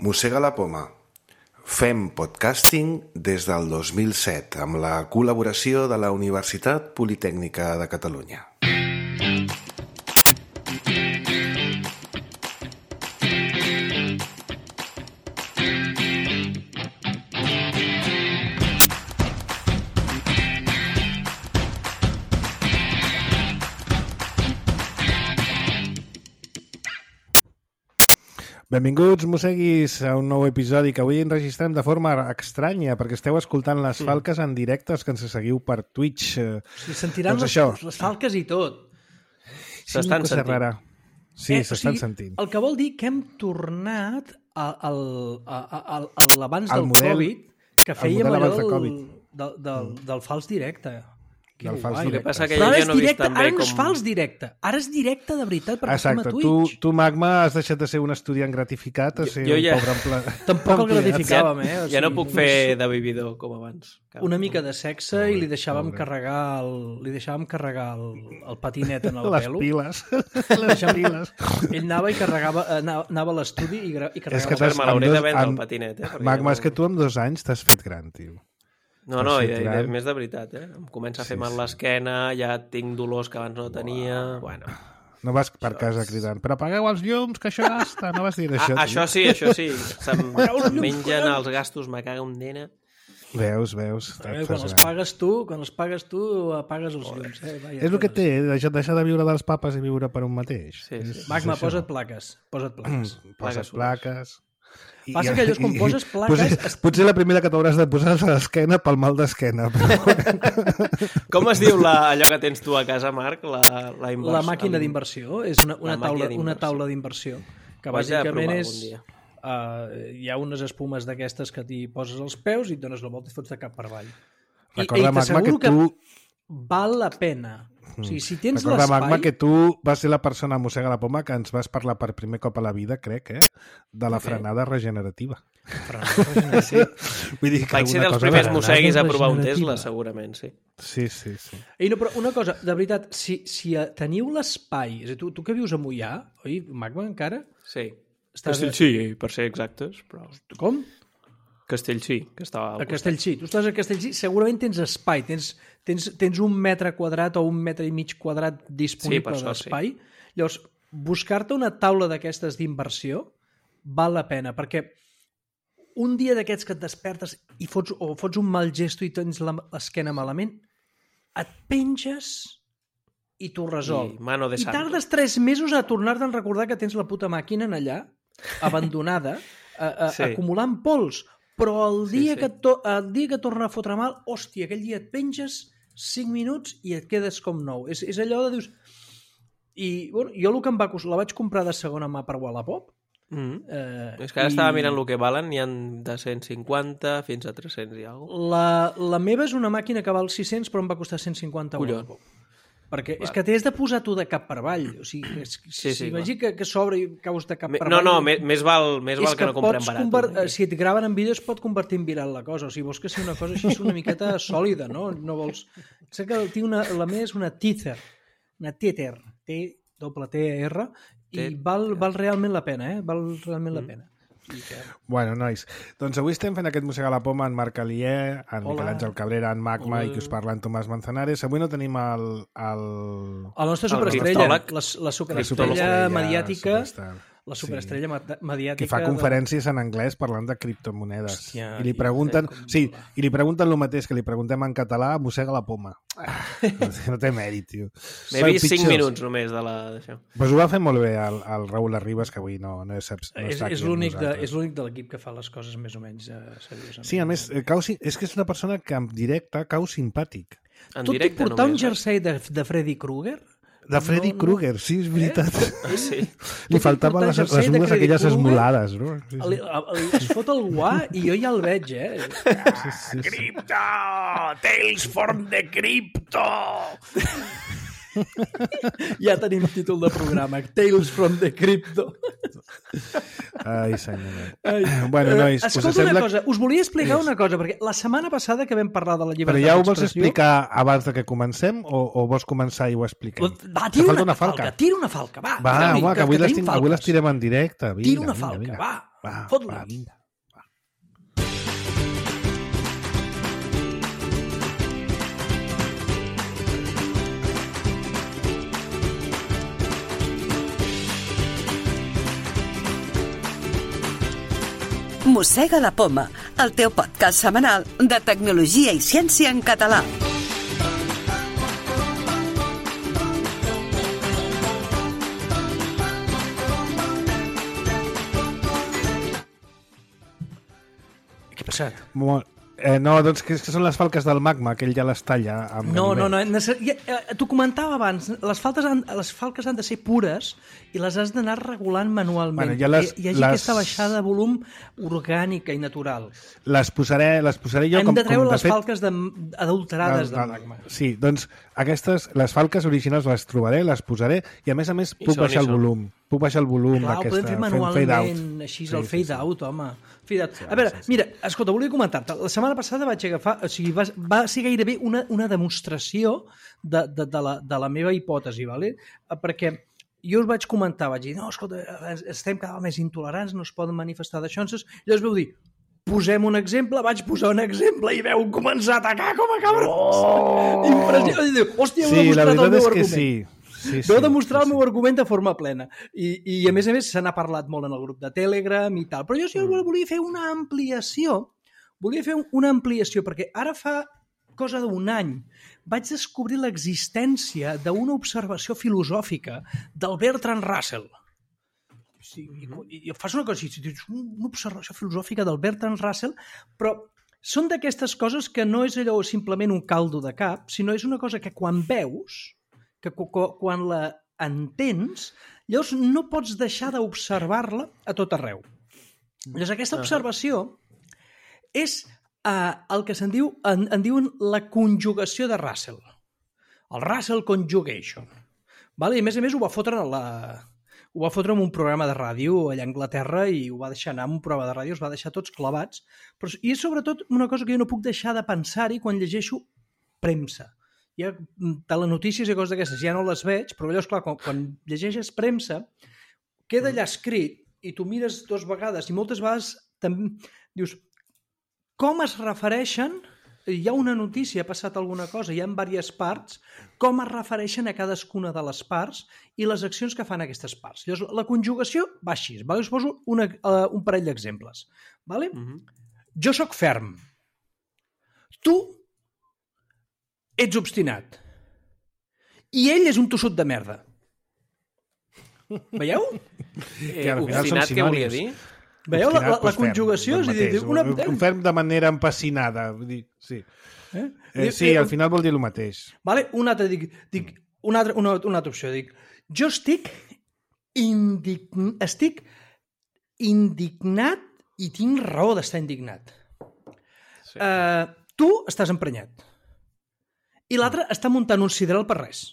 Mossega la poma. Fem podcasting des del 2007 amb la col·laboració de la Universitat Politècnica de Catalunya. Benvinguts, mosseguis, a un nou episodi que avui enregistrem de forma estranya perquè esteu escoltant les falques en directe, els que ens seguiu per Twitch. Sí, sentiran doncs les falques i tot. S'estan sentint. Rara. Sí, s'estan sentint. El que vol dir que hem tornat a l'abans del Covid, que fèiem allò del fals directe. Del fals directe. Passa que jo no he vist tan bé ara no és fals directe, ara és directe de veritat perquè estem a Twitch. Tu, Magma, has deixat de ser un estudiant gratificat a ser un pobre empleat. Tampoc el gratificàvem, Ja no puc fer de vividor com abans. Una mica de sexe i li deixàvem carregar el patinet en el pelo. Les piles. Ell anava i anava a l'estudi i carregava. És que me l'hauré de vendre el patinet. Magma, és que tu amb 2 anys t'has fet gran, tio. No, i més de veritat, Em comença a fer mal l'esquena, ja tinc dolors que abans no tenia... Bueno. No vas per casa cridant, però apagueu els llums, que això gasta. No vas dir això. Això sí. Se'm mengen els gastos, me caga un dena. Veus. Quan els pagues tu, apagues els llums. És el que té, deixar de viure dels papes i viure per un mateix. Sí. Magma, posa't plaques. Posa't plaques. Passa que allò és quan poses plaques... Potser la primera que t'hauràs de posar és a l'esquena pel mal d'esquena. Com es diu allò que tens tu a casa, Marc? La màquina d'inversió. És una taula d'inversió. Que bàsicament és... hi ha unes espumes d'aquestes que t'hi poses als peus i et dones la volta i fots de cap per avall. I t'asseguro que val la pena. O sigui, si tens l'espai... Recorda, Magma, que tu vas ser la persona a Mossega la Poma que ens vas parlar per primer cop a la vida, crec, de la frenada regenerativa. Sí. Vull dir que vaig ser dels primers mosseguis a provar un Tesla, segurament, sí. Sí. No, però una cosa, de veritat, si teniu l'espai... És a dir, tu que vius a Moià, oi, Magma, encara? Sí. Castellcí, per ser exactes. Però... Com? Castellcí, que estava al costat. A Castellcí. Tu estàs a Castellcí, segurament tens espai, tens 1 metre quadrat o 1,5 metre quadrat disponible d'espai. Sí. Llavors, buscar-te una taula d'aquestes d'inversió val la pena, perquè un dia d'aquests que et despertes i fots un mal gesto i tens l'esquena malament, et penges i t'ho resol. I tardes 3 mesos a tornar-te'n a recordar que tens la puta màquina en allà, abandonada, acumulant pols. Però el dia que torna a fotre mal, hòstia, aquell dia et penges 5 minuts i et quedes com nou. És allò de dius... I bueno, jo el que em va costar, la vaig comprar de segona mà per Wallapop. És que ara estava mirant el que valen, n'hi ha de 150 fins a 300 i alguna cosa. La meva és una màquina que val 600 però em va costar 150 a Wallapop. Perquè és que t'has de posar tu de cap per avall. O sigui, imagina que s'obre i caus de cap per avall... No, més val que no comprem barat. Si et graven en vídeo es pot convertir en viral la cosa. O sigui, vols que sigui una cosa així una miqueta sòlida, no? No vols... Sé que la meva és una Tether. Una Tether. T-T-R. I val realment la pena, Val realment la pena. Bueno, nois, doncs avui estem fent aquest Mossega la Poma en Marc Alier, en Miquel Àngel Cabrera, en Magma i qui us parla en Tomàs Manzanares. Avui no tenim el nostre superestrella, la superestrella mediàtica, la superestrella mediàtica... Que fa conferències en anglès parlant de criptomonedes. Hòstia, I li pregunten el mateix que li preguntem en català, Mossega la Poma. No té mèrit, tio. M'he vist 5 minuts només d'això. Pues ho va fer molt bé el Raül Arribas, que avui no està aquí. És l'únic de l'equip que fa les coses més o menys seriosament. Sí, a més, és que és una persona que en directe cau simpàtic. Tu et puc portar un jersei de Freddy Krueger? De Freddy Krueger, sí, és veritat. Sí. Li faltaven les ungles aquelles esmolades, no? Es fot el guà i jo ja el veig, Crypto! Tales from the Crypto! Ja tenim títol de programa, Tales from the Crypto. Ai, senyor. Bueno, nois, escolta una cosa, us volia explicar una cosa, perquè la setmana passada que vam parlar de la llibertat d'expressió... Però ja ho vols explicar abans de que comencem o vols començar i ho expliquem? Va, tira una falca, va. Va, home, que avui les tirem en directe. Tira una falca, va. Fot-li. Vinga. Mossega la Poma, el teu podcast setmanal de tecnologia i ciència en català. Què ha passat? No, doncs que són les falques del magma, que ell ja les talla amb No, t'ho comentava abans, les falques han de ser pures i les has d'anar regulant manualment. Hi hagi aquesta baixada de volum orgànica i natural. Les posaré jo Hem de treure les falques adulterades del magma. Sí, doncs les falques originals les trobaré, les posaré i a més puc baixar el volum. Puc baixar el volum d'aquesta. Ho podem fer manualment, així el fade-out, home. A veure, mira, escolta, volia comentar-te. La setmana passada vaig agafar... O sigui, va ser gairebé una demostració de la meva hipòtesi, ¿vale? Perquè jo us vaig comentar, vaig dir, no, escolta, estem cada vegada més intolerants, no es poden manifestar d'això. Llavors vau dir, posem un exemple, vaig posar un exemple i veu començar a atacar com a cabrons. Impressionant. Hòstia, heu demostrat el meu argument. Sí. Vau demostrar el meu argument de forma plena. I a més se n'ha parlat molt en el grup de Telegram i tal. Però jo sí volia fer una ampliació. Perquè ara fa cosa d'un any vaig descobrir l'existència d'una observació filosòfica del Bertrand Russell. I fas una cosa així, una observació filosòfica del Bertrand Russell, però són d'aquestes coses que no és allò simplement un caldo de cap, sinó és una cosa que quan veus, que quan la entens, llavors no pots deixar d'observar-la a tot arreu. Llavors aquesta observació és el que en diuen la conjugació de Russell. El Russell Conjugation. I a més ho va fotre en un programa de ràdio allà a Anglaterra i ho va deixar anar en un programa de ràdio, els va deixar tots clavats. I és sobretot una cosa que jo no puc deixar de pensar-hi quan llegeixo premsa. Hi ha telenotícies i coses d'aquestes, ja no les veig, però llavors, clar, quan llegeixes premsa, queda allà escrit i tu mires dues vegades i moltes vegades també dius com es refereixen, hi ha una notícia, ha passat alguna cosa, hi ha diverses parts, com es refereixen a cadascuna de les parts i les accions que fan aquestes parts. Llavors, la conjugació va així. Us poso un parell d'exemples. Jo sóc ferm. Tu ets obstinat. I ell és un tossut de merda. Veieu? Obstinat què volia dir? Veieu la conjugació? Un ferm de manera empassinada. Sí, al final vol dir el mateix. Una altra opció. Jo estic indignat i tinc raó d'estar indignat. Tu estàs emprenyat. I l'altre està muntant un sideral per res.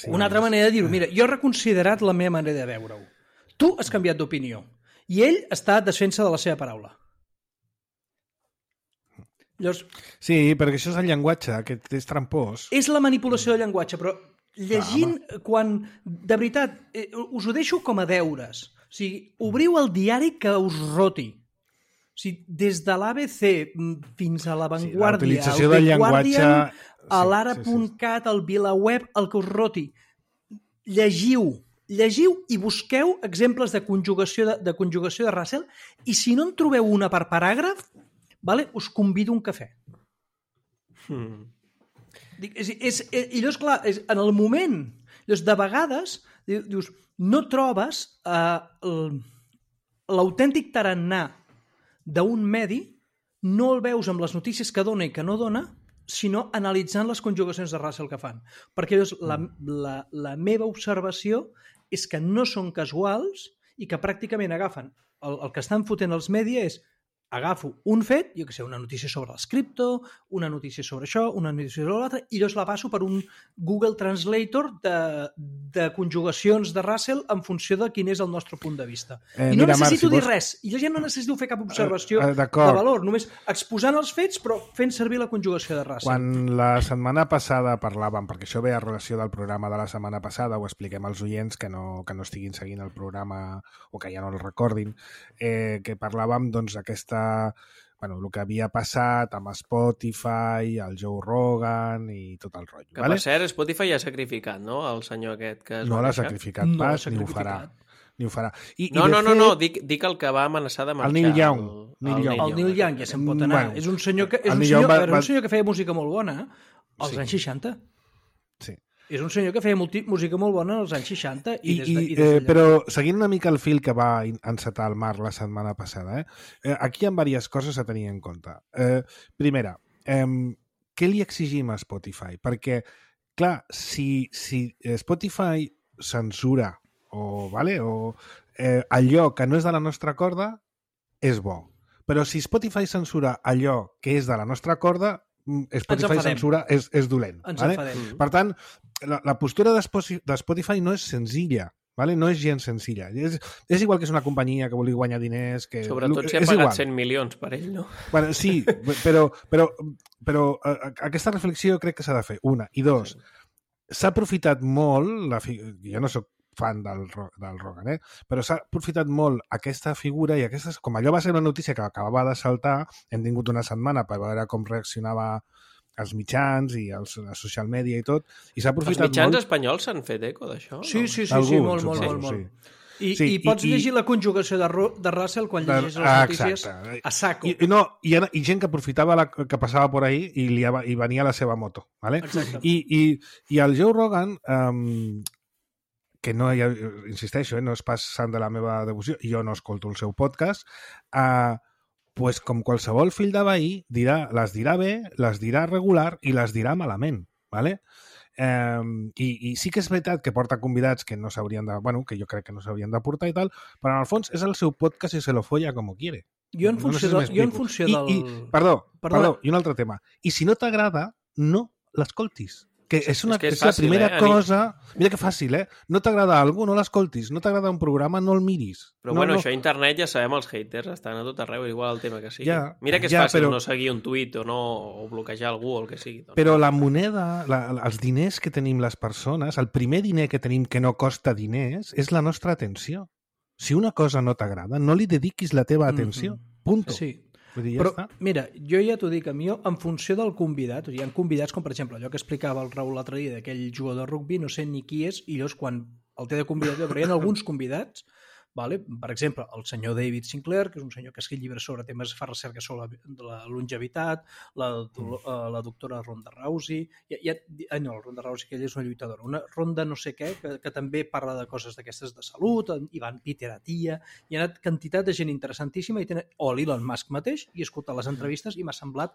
Una altra manera de dir-ho. Mira, jo he reconsiderat la meva manera de veure-ho. Tu has canviat d'opinió. I ell està a defensa de la seva paraula. Llavors, sí, perquè això és el llenguatge, que és trampós. És la manipulació del llenguatge, però llegint, quan... De veritat, us ho deixo com a deures. O sigui, obriu el diari que us roti. O sigui, des de l'ABC fins a l'Avantguàrdia, al The Guardian, a l'ara.cat, al VilaWeb, el que us roti. Llegiu i busqueu exemples de conjugació de Russell i si no en trobeu una per paràgraf, us convido a un cafè. I llavors, clar, en el moment, de vegades, dius, no trobes l'autèntic tarannà d'un medi, no el veus amb les notícies que dona i que no dona, sinó analitzant les conjugacions de Russell que fan. Perquè la meva observació és que no són casuals i que pràcticament agafen el que estan fotent els mèdia és agafo un fet, jo que sé, una notícia sobre els cripto, una notícia sobre això, una notícia sobre l'altra, i llavors la passo per un Google Translator de conjugacions de Russell en funció de quin és el nostre punt de vista. I no necessito dir res, i jo ja no necessito fer cap observació de valor, només exposant els fets però fent servir la conjugació de Russell. Quan la setmana passada parlàvem, perquè això ve a relació del programa de la setmana passada, ho expliquem als oients que no estiguin seguint el programa o que ja no el recordin, que parlàvem doncs aquesta el que havia passat amb Spotify, el Joe Rogan i tot el rotllo. Que per cert, Spotify ja ha sacrificat, no?, el senyor aquest que es va deixar. No l'ha sacrificat pas, ni ho farà. No, dic el que va amenaçar de marxar. El Neil Young. El Neil Young ja se'n pot anar. És un senyor que feia música molt bona als anys 60. Sí. És un senyor que feia música molt bona als anys 60. Però seguint una mica el fil que va encetar el Marc la setmana passada, aquí hi ha diverses coses a tenir en compte. Primera, què li exigim a Spotify? Perquè, clar, si Spotify censura allò que no és de la nostra corda, és bo. Però si Spotify censura allò que és de la nostra corda, Spotify censura és dolent. Per tant, la postura de Spotify no és senzilla, no és gens senzilla. És igual que és una companyia que vulgui guanyar diners... Sobretot si ha pagat 100 milions per ell, no? Sí, però aquesta reflexió crec que s'ha de fer. Una. I dos, s'ha aprofitat molt, jo no soc fan del Rogan, però s'ha aprofitat molt aquesta figura i com allò va ser una notícia que acabava de saltar, hem tingut una setmana per veure com reaccionava els mitjans i la social media i tot, i s'ha aprofitat molt... Els mitjans espanyols s'han fet eco d'això? Sí, molt. I pots llegir la conjugació de Russell quan llegis les notícies a saco. I gent que aprofitava que passava per ahí i venia a la seva moto. I el Joe Rogan... que no, insisteixo, no és pas sant de la meva devoció, jo no escolto el seu podcast, pues com qualsevol fill de veí, les dirà bé, les dirà regular i les dirà malament, ¿vale? I sí que és veritat que porta convidats que no s'haurien de... que jo crec que no s'haurien de portar i tal, però en el fons és el seu podcast i se lo folla com quiere. Jo en funció del... Perdó, i un altre tema. I si no t'agrada, no l'escoltis. Que és la primera cosa... Mira que fàcil, No t'agrada alguna cosa, no l'escoltis. No t'agrada un programa, no el miris. Però això a internet ja sabem, els haters estan a tot arreu, igual el tema que sigui. Mira que és fàcil no seguir un tuit o bloquejar algú o el que sigui. Però la moneda, els diners que tenim les persones, el primer diner que tenim que no costa diners, és la nostra atenció. Si una cosa no t'agrada, no li dediquis la teva atenció. Punto. Sí. Però, mira, jo ja t'ho dic, a mi, en funció del convidat, hi ha convidats com, per exemple, allò que explicava el Raül l'altre dia d'aquell jugador de rugbi, no sé ni qui és, i llavors quan el té de convidat, però hi ha alguns convidats, per exemple, el senyor David Sinclair, que és un senyor que escriu llibres sobre temes, fa recerca sobre la longevitat, la doctora Ronda Rousey, no, la Ronda Rousey, que ella és una lluitadora, una Ronda no sé què, que també parla de coses d'aquestes de salut, Ivan Peter Attia, hi ha quantitat de gent interessantíssima, o l'Elon Musk mateix, i he escoltat les entrevistes i m'ha semblat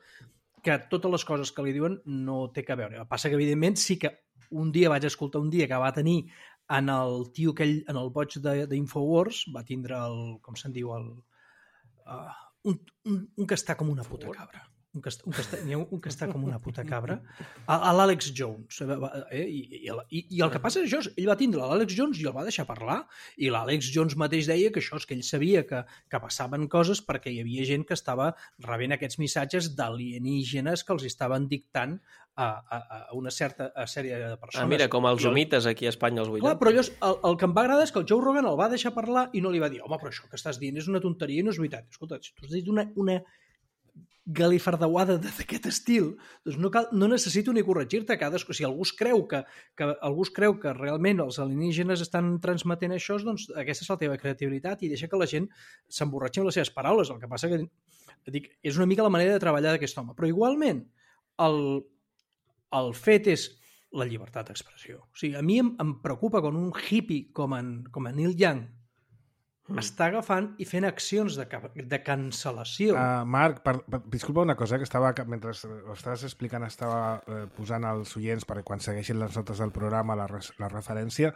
que totes les coses que li diuen no té que veure. El que passa que, evidentment, sí que un dia vaig escoltar que va tenir en el tio aquell, en el boig d'Infowars, va tindre com se'n diu, un que està com una puta cabra. Un que està com una puta cabra, l'Àlex Jones. I el que passa és això, ell va tindre l'Àlex Jones i el va deixar parlar, i l'Àlex Jones mateix deia que això és que ell sabia que passaven coses perquè hi havia gent que estava rebent aquests missatges d'alienígenes que els estaven dictant a una certa sèrie de persones. Mira, com els humites aquí a Espanya als 80. Clar, però llavors el que em va agradar és que el Joe Rogan el va deixar parlar i no li va dir, home, però això que estàs dient és una tonteria i no és veritat. Escolta, si tu has dit una galifardauada d'aquest estil, doncs no necessito ni corregir-te. Si algú es creu que realment els alienígenes estan transmetent això, doncs aquesta és la teva creativitat i deixa que la gent s'emborratxi amb les seves paraules. El que passa que és una mica la manera de treballar d'aquest home. Però igualment, el fet és la llibertat d'expressió. O sigui, a mi em preocupa quan un hippie com en Neil Young està agafant i fent accions de cancel·lació. Marc, disculpa una cosa, que mentre ho estaves explicant estava posant als oients perquè quan segueixin les notes del programa la referència.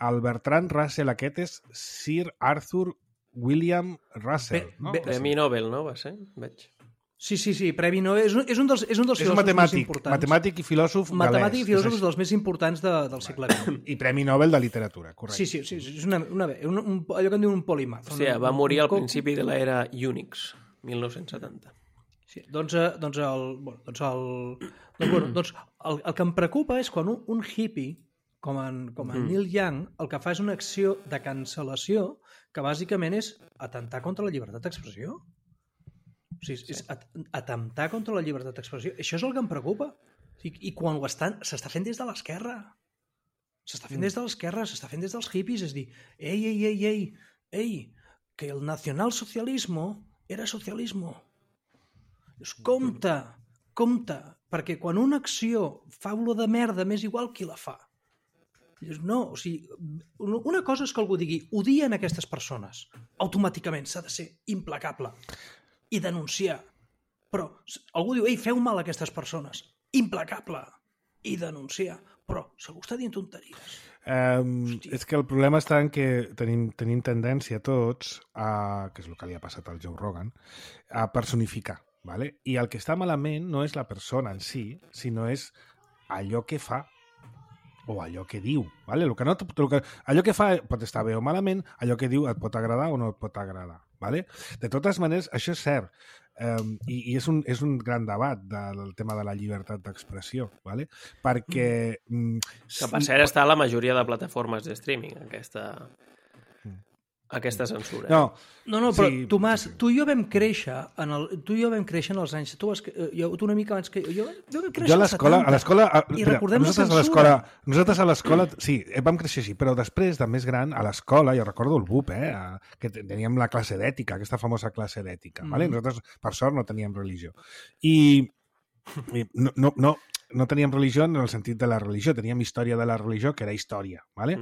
El Bertrand Russell aquest és Sir Arthur William Russell. Premi Nobel, no? Va ser? Veig. Sí, Premi Nobel. És un dels filòsofs més importants. Matemàtic i filòsof galès. Matemàtic i filòsof dels més importants del segle XX. I Premi Nobel de literatura, correcte. Sí, és allò que en diuen un polímath. O sigui, va morir al principi de l'era Unix, 1970. Sí, el que em preocupa és quan un hippie, com en Neil Young, el que fa és una acció de cancel·lació que bàsicament és atemptar contra la llibertat d'expressió. O sigui, és atemptar contra la llibertat d'expressió. Això és el que em preocupa. I quan s'està fent des de l'esquerra. S'està fent des de l'esquerra, s'està fent des dels hippies. És dir, ei, que el nacionalsocialismo era socialismo. Compte, perquè quan una acció fa olor de merda, m'és igual qui la fa. No, o sigui, una cosa és que algú digui odien aquestes persones. Automàticament s'ha de ser implacable i denunciar. Però algú diu, feu mal a aquestes persones. Implacable. I denunciar. Però segur està dient tonteries. És que el problema està en que tenim tendència tots, que és el que li ha passat al Joe Rogan, a personificar. Vale? I el que està malament no és la persona en si, sinó és allò que fa o allò que diu. Vale? Allò que fa pot estar bé o malament, allò que diu et pot agradar o no et pot agradar. Vale? De totes maneres, això és cert. I és un gran debat del tema de la llibertat d'expressió. Vale? Perquè... Que per cert està a la majoria de plataformes de streaming, aquesta censura. No, però sí, Tomàs, tu i jo vam créixer en els anys... Tu una mica abans que jo vam créixer als 70. I recordem la censura. Nosaltres a l'escola, sí, vam créixer així, però després, de més gran, a l'escola, jo recordo el BUP, que teníem la classe d'ètica, aquesta famosa classe d'ètica. Vale? Nosaltres, per sort, no teníem religió. I no teníem religió en el sentit de la religió, teníem història de la religió, que era història, ¿vale?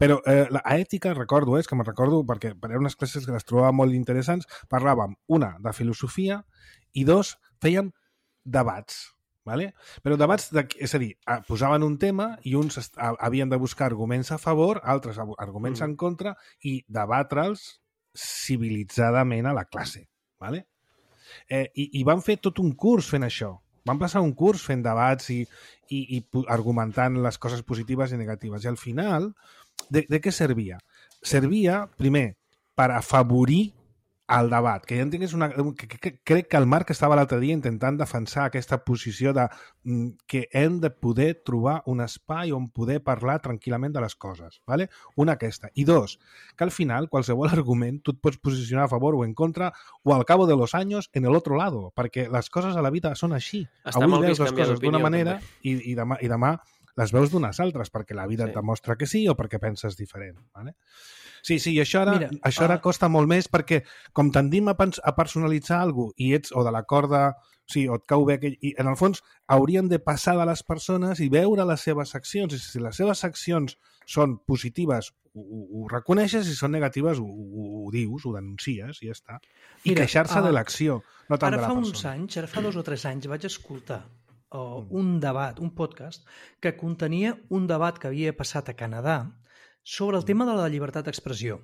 Però la ètica, recordo, és que me'n recordo, perquè eren unes classes que les trobava molt interessants, parlàvem, una, de filosofia, i dos, fèiem debats, ¿vale? Però debats, és a dir, posaven un tema i uns havien de buscar arguments a favor, altres arguments en contra, i debatre'ls civilitzadament a la classe, ¿vale? I van fer tot un curs fent això. Van passar un curs fent debats i argumentant les coses positives i negatives. I al final, de què servia? Servia, primer, per afavorir el debat. Que ja entengués crec que el Marc estava l'altre dia intentant defensar aquesta posició de que hem de poder trobar un espai on poder parlar tranquil·lament de les coses. ¿Vale? Una aquesta. I dos, que al final qualsevol argument tu et pots posicionar a favor o en contra o al cabo de los años en el otro lado, perquè les coses a la vida són així. Avui veus les coses d'una manera i demà les veus d'unes altres, perquè la vida et demostra que sí o perquè penses diferent. ¿Vale? Sí, i això ara costa molt més perquè com tendim a personalitzar alguna cosa o de la corda, sí, o et cau bé aquell... I en el fons haurien de passar de les persones i veure les seves accions. I si les seves accions són positives, ho reconeixes, i si són negatives, ho dius, ho denuncies i ja està. I queixar-se de l'acció, no tant de la persona. Ara fa 2 o 3 anys vaig escoltar un debat, un podcast, que contenia un debat que havia passat a Canadà sobre el tema de la llibertat d'expressió.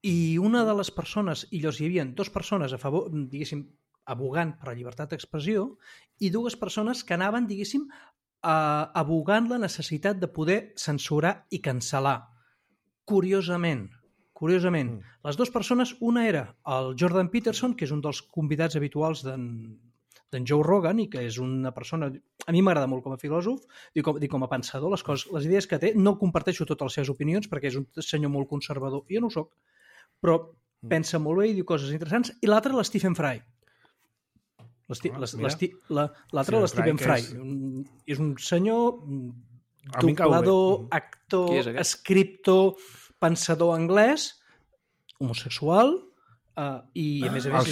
I una de les persones, hi havia 2 persones a favor, diguéssim, abogant per la llibertat d'expressió i 2 persones que anaven, diguéssim, abogant la necessitat de poder censurar i cancel·lar. Curiosament, les 2 persones, una era el Jordan Peterson, que és un dels convidats habituals d'en Joe Rogan i que és una persona... A mi m'agrada molt com a filòsof i com a pensador, les idees que té. No comparteixo totes les seves opinions perquè és un senyor molt conservador. Jo no ho soc, però pensa molt bé i diu coses interessants. I l'altre, l'Stephen Fry. L'altre, l'Stephen Fry. És un senyor doblador, actor, escriptor, pensador anglès, homosexual... i a més la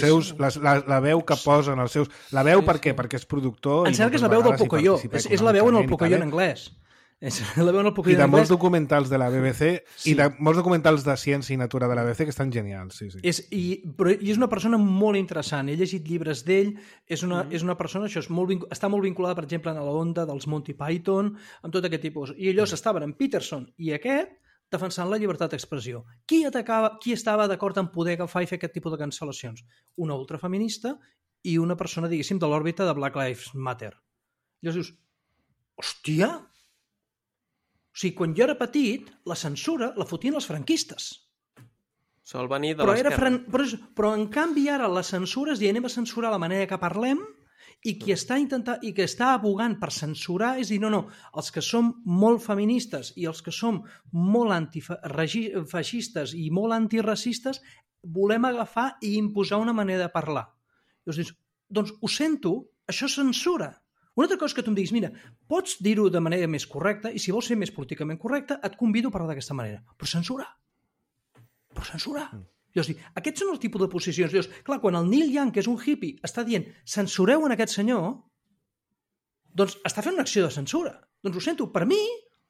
veu que posen els seus... La veu per què? Perquè és productor... Em sembla que és la veu del Pocoyo. És la veu en el Pocoyo en anglès. I de molts documentals de la BBC i de molts documentals de ciència i natura de la BBC que estan genials. Però és una persona molt interessant. He llegit llibres d'ell. És una persona, això està molt vinculada, per exemple, a la onda dels Monty Python, amb tot aquest tipus. I ells estaven en Peterson i aquest defensant la llibertat d'expressió. Qui estava d'acord en poder agafar i fer aquest tipus de cancel·lacions? Una ultrafeminista i una persona, diguéssim, de l'òrbita de Black Lives Matter. I llavors dius, hòstia! O sigui, quan jo era petit, la censura la fotien els franquistes. Sol venir de l'esquerra. Però en canvi ara la censura és dir, anem a censurar la manera que parlem, i qui està abogant per censurar és dir, no, els que som molt feministes i els que som molt antifeixistes i molt antiracistes volem agafar i imposar una manera de parlar. I llavors dius, doncs ho sento, això és censura. Una altra cosa que tu em diguis, mira, pots dir-ho de manera més correcta i si vols ser més políticament correcta et convido a parlar d'aquesta manera. Però censura. Llavors, aquests són el tipus de posicions. Llavors, clar, quan el Neil Young, que és un hippie, està dient censureu en aquest senyor, doncs està fent una acció de censura. Doncs ho sento, per mi,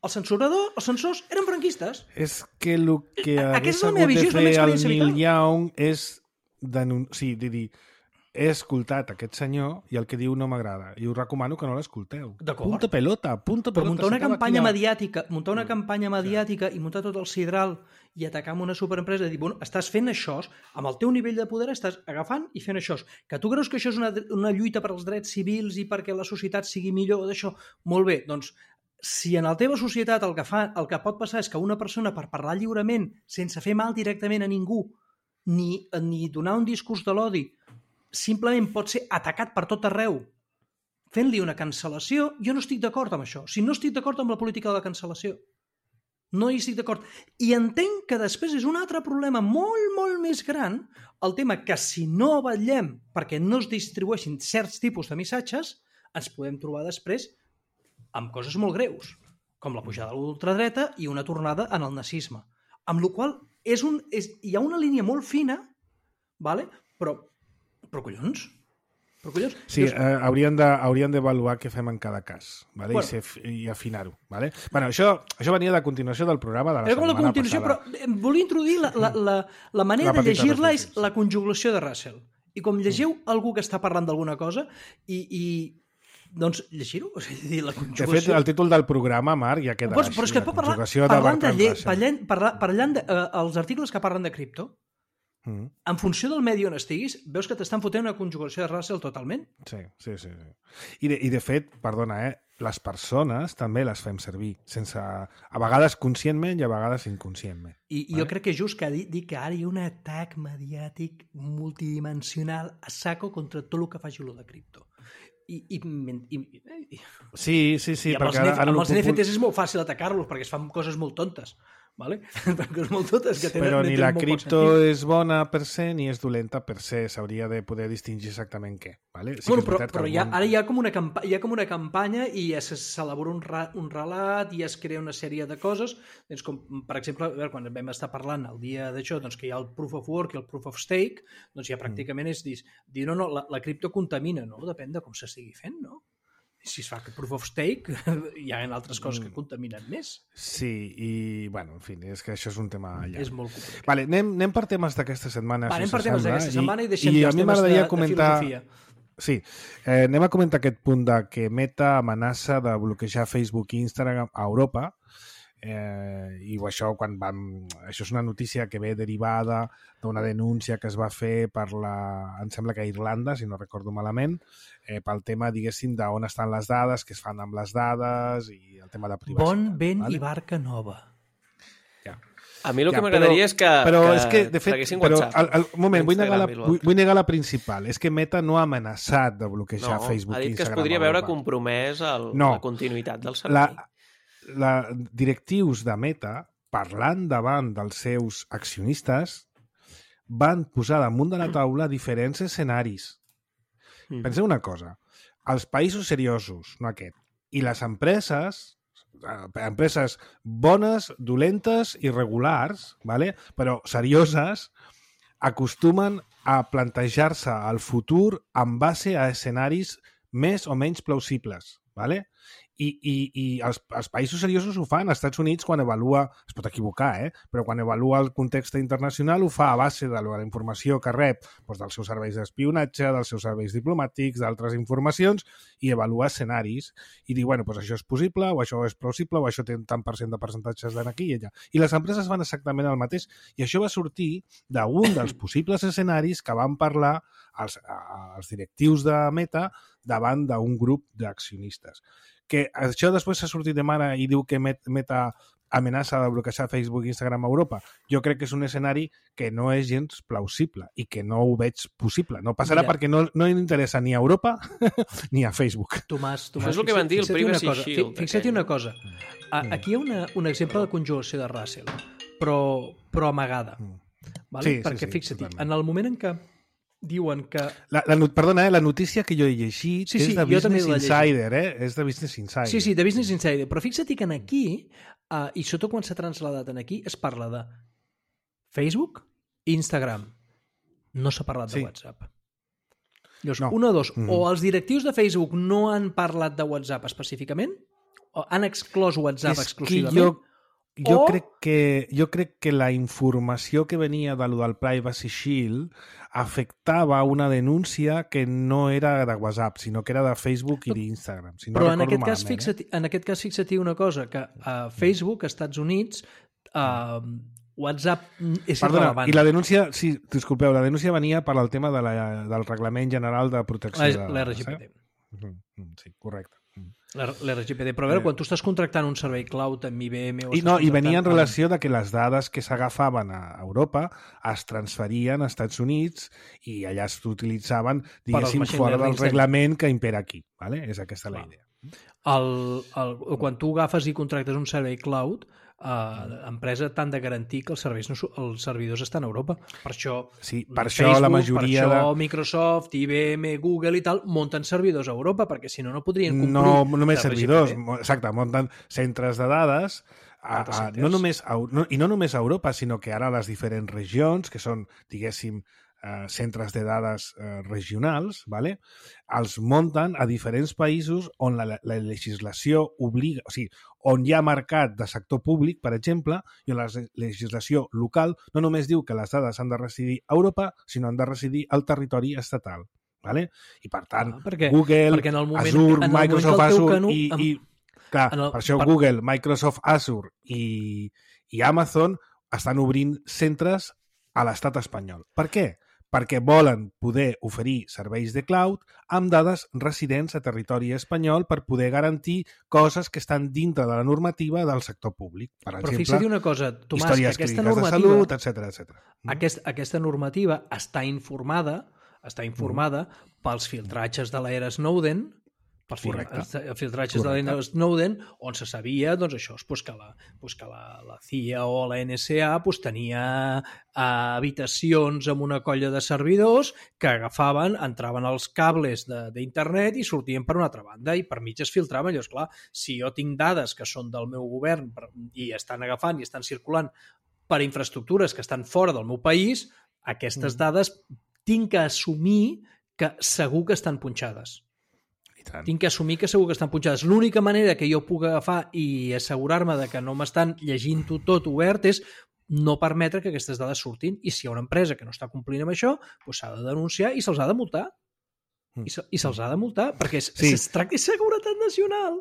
els censors eren franquistes. És que el que hagués hagut de fer el Neil Young és dir, he escoltat aquest senyor i el que diu no m'agrada. I us recomano que no l'escolteu. Punta pelota. Però muntar una campanya mediàtica, i muntar tot el sidral i atacar amb una superempresa i dir, bueno, estàs fent això, amb el teu nivell de poder estàs agafant i fent això. Que tu creus que això és una lluita per als drets civils i perquè la societat sigui millor d'això? Molt bé, doncs, si en la teva societat el que pot passar és que una persona per parlar lliurement, sense fer mal directament a ningú, ni donar un discurs de l'odi, simplement pot ser atacat per tot arreu fent-li una cancel·lació, jo no estic d'acord amb això. Si no estic d'acord amb la política de la cancel·lació. No hi estic d'acord. I entenc que després és un altre problema molt, molt més gran, el tema que si no vetllem perquè no es distribueixin certs tipus de missatges, ens podem trobar després amb coses molt greus, com la pujada de l'ultradreta i una tornada en el nazisme. Amb la qual cosa hi ha una línia molt fina, vale? Però collons? Sí, hauríem d'avaluar què fem en cada cas, vale? I afinar-ho. Vale? Bueno, això venia de continuació del programa de la setmana passada. Però volia introduir la manera de llegir-la és la conjugació de Russell. I com llegiu algú que està parlant d'alguna cosa doncs llegir-ho, o sigui, la conjugació... De fet, el títol del programa, Marc, ja queda així. Però és que pot parlant dels articles que parlen de cripto, en funció del medi on estiguis, veus que t'estan fotent una conjugació de Russell totalment. Sí. I de fet, perdona, les persones també les fem servir, a vegades conscientment i a vegades inconscientment. I jo crec que és just que dir que ara hi ha un atac mediàtic multidimensional a saco contra tot el que faci lo de cripto. Sí. Amb els NFTs és molt fàcil atacar-los perquè es fan coses molt tontes. Vale? Però ni la cripto és bona per se ni és dolenta per se, s'hauria de poder distingir exactament què. Vale? Sí, però ara hi ha com una campanya i ja s'elabora un relat i es crea una sèrie de coses, doncs com per exemple quan vam estar parlant el dia d'això, doncs que hi ha el proof of work i el proof of stake, doncs ja pràcticament és dir no, la cripto contamina, no? Depèn de com s'estigui fent, no? Si es fa que proof of stake, hi ha altres coses que contaminen més. Sí, i, bueno, en fi, és que això és un tema llarg. És molt complicat. Vale, anem per temes d'aquesta setmana. Anem per temes d'aquesta setmana i deixem ja els temes de filosofia. Sí, anem a comentar aquest punt de que Meta amenaça de bloquejar Facebook i Instagram a Europa, i això això és una notícia que ve derivada d'una denúncia que es va fer em sembla que a Irlanda, si no recordo malament, pel tema, diguéssim, d'on estan les dades, què es fan amb les dades i el tema de privacitat. Bon vent i barca nova. A mi el que m'agradaria és que traguessin WhatsApp. Un moment, vull negar la principal. És que Meta no ha amenaçat de bloquejar Facebook i Instagram. Ha dit que es podria veure compromès la continuïtat del servei. Directius de Meta, parlant davant dels seus accionistes, van posar damunt de la taula diferents escenaris. Penseu una cosa, els països seriosos, no aquest, i les empreses bones, dolentes i regulars, ¿vale? Però serioses, acostumen a plantejar-se el futur en base a escenaris més o menys plausibles, ¿vale? I els països seriosos ho fan. Els Estats Units, quan evalua, es pot equivocar, però quan evalua el context internacional ho fa a base de la informació que rep dels seus serveis d'espionatge, dels seus serveis diplomàtics, d'altres informacions, i evalua escenaris i diu, bueno, això és possible, o això és plausible, o això té tant % de percentatges d'aquí i allà. I les empreses fan exactament el mateix. I això va sortir d'un dels possibles escenaris que van parlar els directius de Meta davant d'un grup d'accionistes. Que això després s'ha sortit de mare i diu que Meta amenaça de bloquejar Facebook i Instagram a Europa. Jo crec que és un escenari que no és gens plausible i que no ho veig possible. No passarà perquè no interessa ni a Europa ni a Facebook. Tomàs, és el que van dir el Privacy Shield. Fixa't una cosa. Aquí hi ha un exemple de conjugació de Russell, però amagada. Perquè fixa't, en el moment en què diuen que... Perdona, la notícia que jo he llegit és de Business Insider, és de Business Insider. Sí, de Business Insider, però fixa't que aquí, i sobretot quan s'ha transladat aquí, es parla de Facebook, Instagram. No s'ha parlat de WhatsApp. Llavors, una o dos, o els directius de Facebook no han parlat de WhatsApp específicament, o han exclòs WhatsApp exclusivament, jo crec que la informació que venia del Privacy Shield afectava una denúncia que no era de WhatsApp, sinó que era de Facebook i d'Instagram. Si no però en aquest cas fixa't una cosa, que a Facebook, als Estats Units, WhatsApp és irrelevant. I la denúncia, disculpeu, la denúncia venia per al tema del Reglament General de Protecció de Dades. L'RGPD. Sí, correcte. L'RGPD, però a veure, quan tu estàs contractant un servei cloud amb IBM... I venia en relació de que les dades que s'agafaven a Europa es transferien als Estats Units i allà s'utilitzaven, diguéssim, fora del reglament que impera aquí. És aquesta la idea. Quan tu agafes i contractes un servei cloud, l'empresa t'han de garantir que els servidors estan a Europa. Per això, Facebook, la majoria per això Microsoft, IBM, Google i tal munten servidors a Europa, perquè si no podrien complir... No només servidors, exacte, munten centres de dades no només a Europa, sinó que ara les diferents regions, que són, diguéssim, centres de dades regionals, els munten a diferents països on la legislació obliga, o sigui, on hi ha mercat de sector públic, per exemple, i on la legislació local no només diu que les dades han de residir a Europa, sinó han de residir al territori estatal. I per tant, Google, Azure, Microsoft, Azure per això Google, Microsoft, Azure i Amazon estan obrint centres a l'estat espanyol. Per què? Perquè volen poder oferir serveis de cloud amb dades residents a territori espanyol per poder garantir coses que estan dintre de la normativa del sector públic. Per exemple, una cosa, Tomàs, històries clíniques de salut, etc. Aquesta normativa està informada pels filtratges de l'era Snowden, filtratges de l'era Snowden, on se sabia que la CIA o la NSA tenia habitacions amb una colla de servidors que entraven als cables d'internet i sortien per una altra banda i per mig es filtraven. Llavors, clar, si jo tinc dades que són del meu govern i estan agafant i estan circulant per infraestructures que estan fora del meu país, aquestes dades tinc que assumir que segur que estan punxades. Tinc que assumir que segur que estan punxades. L'única manera que jo puc agafar i assegurar-me de que no m'estan llegint-ho tot obert és no permetre que aquestes dades surtin, i si hi ha una empresa que no està complint amb això, s'ha de denunciar i se'ls ha de multar. I se'ls ha de multar, perquè es tracta de seguretat nacional.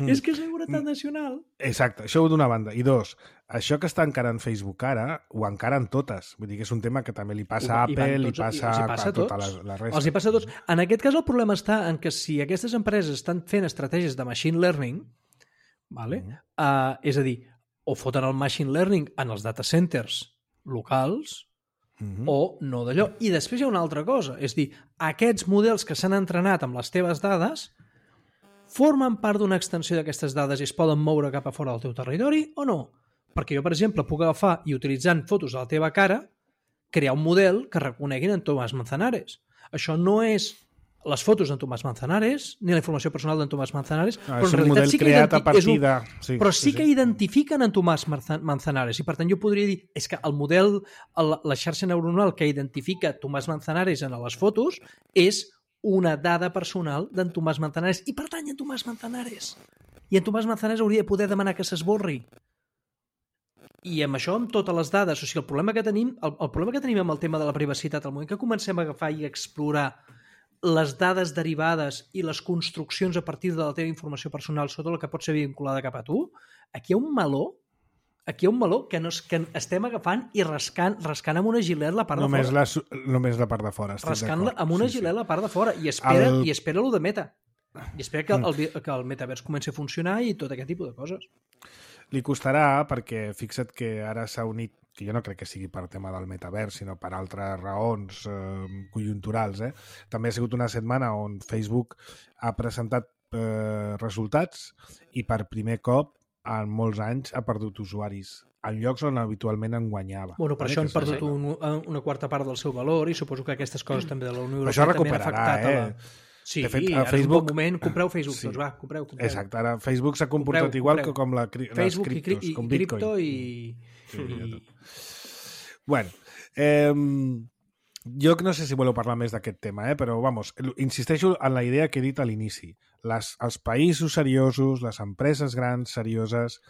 És que és seguretat nacional. Exacte, això d'una banda. I dos, això que està encarant Facebook ara, ho encaren totes. Vull dir que és un tema que també li passa a Apple, li passa a tota la resta. Els hi passa a tots. En aquest cas el problema està en que si aquestes empreses estan fent estratègies de machine learning, és a dir, o foten el machine learning en els data centers locals, o no d'allò. I després hi ha una altra cosa, és dir, aquests models que s'han entrenat amb les teves dades formen part d'una extensió d'aquestes dades i es poden moure cap a fora del teu territori o no? Perquè jo, per exemple, puc agafar i utilitzant fotos de la teva cara crear un model que reconeguin en Tomàs Manzanares. Això no és les fotos d'en Tomàs Manzanares ni la informació personal d'en Tomàs Manzanares, però en realitat sí que sí que identifiquen en Tomàs Manzanares, i per tant jo podria dir és que el model, la xarxa neuronal que identifica Tomàs Manzanares en les fotos és una dada personal d'en Tomàs Manzanares i pertany a Tomàs Manzanares. I en Tomàs Manzanares hauria de poder demanar que s'esborri. I amb això, amb totes les dades, o sigui, el problema que tenim amb el tema de la privacitat, al moment que comencem a agafar i a explorar les dades derivades i les construccions a partir de la teva informació personal sobre la que pot ser vinculada cap a tu, aquí hi ha un meló que estem agafant i rascant amb una gilet la part de fora. Només la part de fora. Rascant amb una gilet la part de fora. I espera lo de meta. I espera que el metavers comenci a funcionar i tot aquest tipus de coses. Li costarà perquè fixa't que ara s'ha unit, que jo no crec que sigui per tema del metavers, sinó per altres raons conjunturals. També ha sigut una setmana on Facebook ha presentat resultats i per primer cop en molts anys ha perdut usuaris en llocs on habitualment en guanyava. Bueno, per això han perdut una quarta part del seu valor i suposo que aquestes coses també de la Unió Europea també han afectat Sí, de fet, a Facebook... és un bon moment, compreu Facebook, doncs va, compreu. Exacte, ara Facebook s'ha comportat igual que com les criptos, com Bitcoin. Cripto i... Bueno, jo no sé si voleu parlar més d'aquest tema, però vamos, insisteixo en la idea que he dit a l'inici. Els països seriosos, les empreses grans serioses,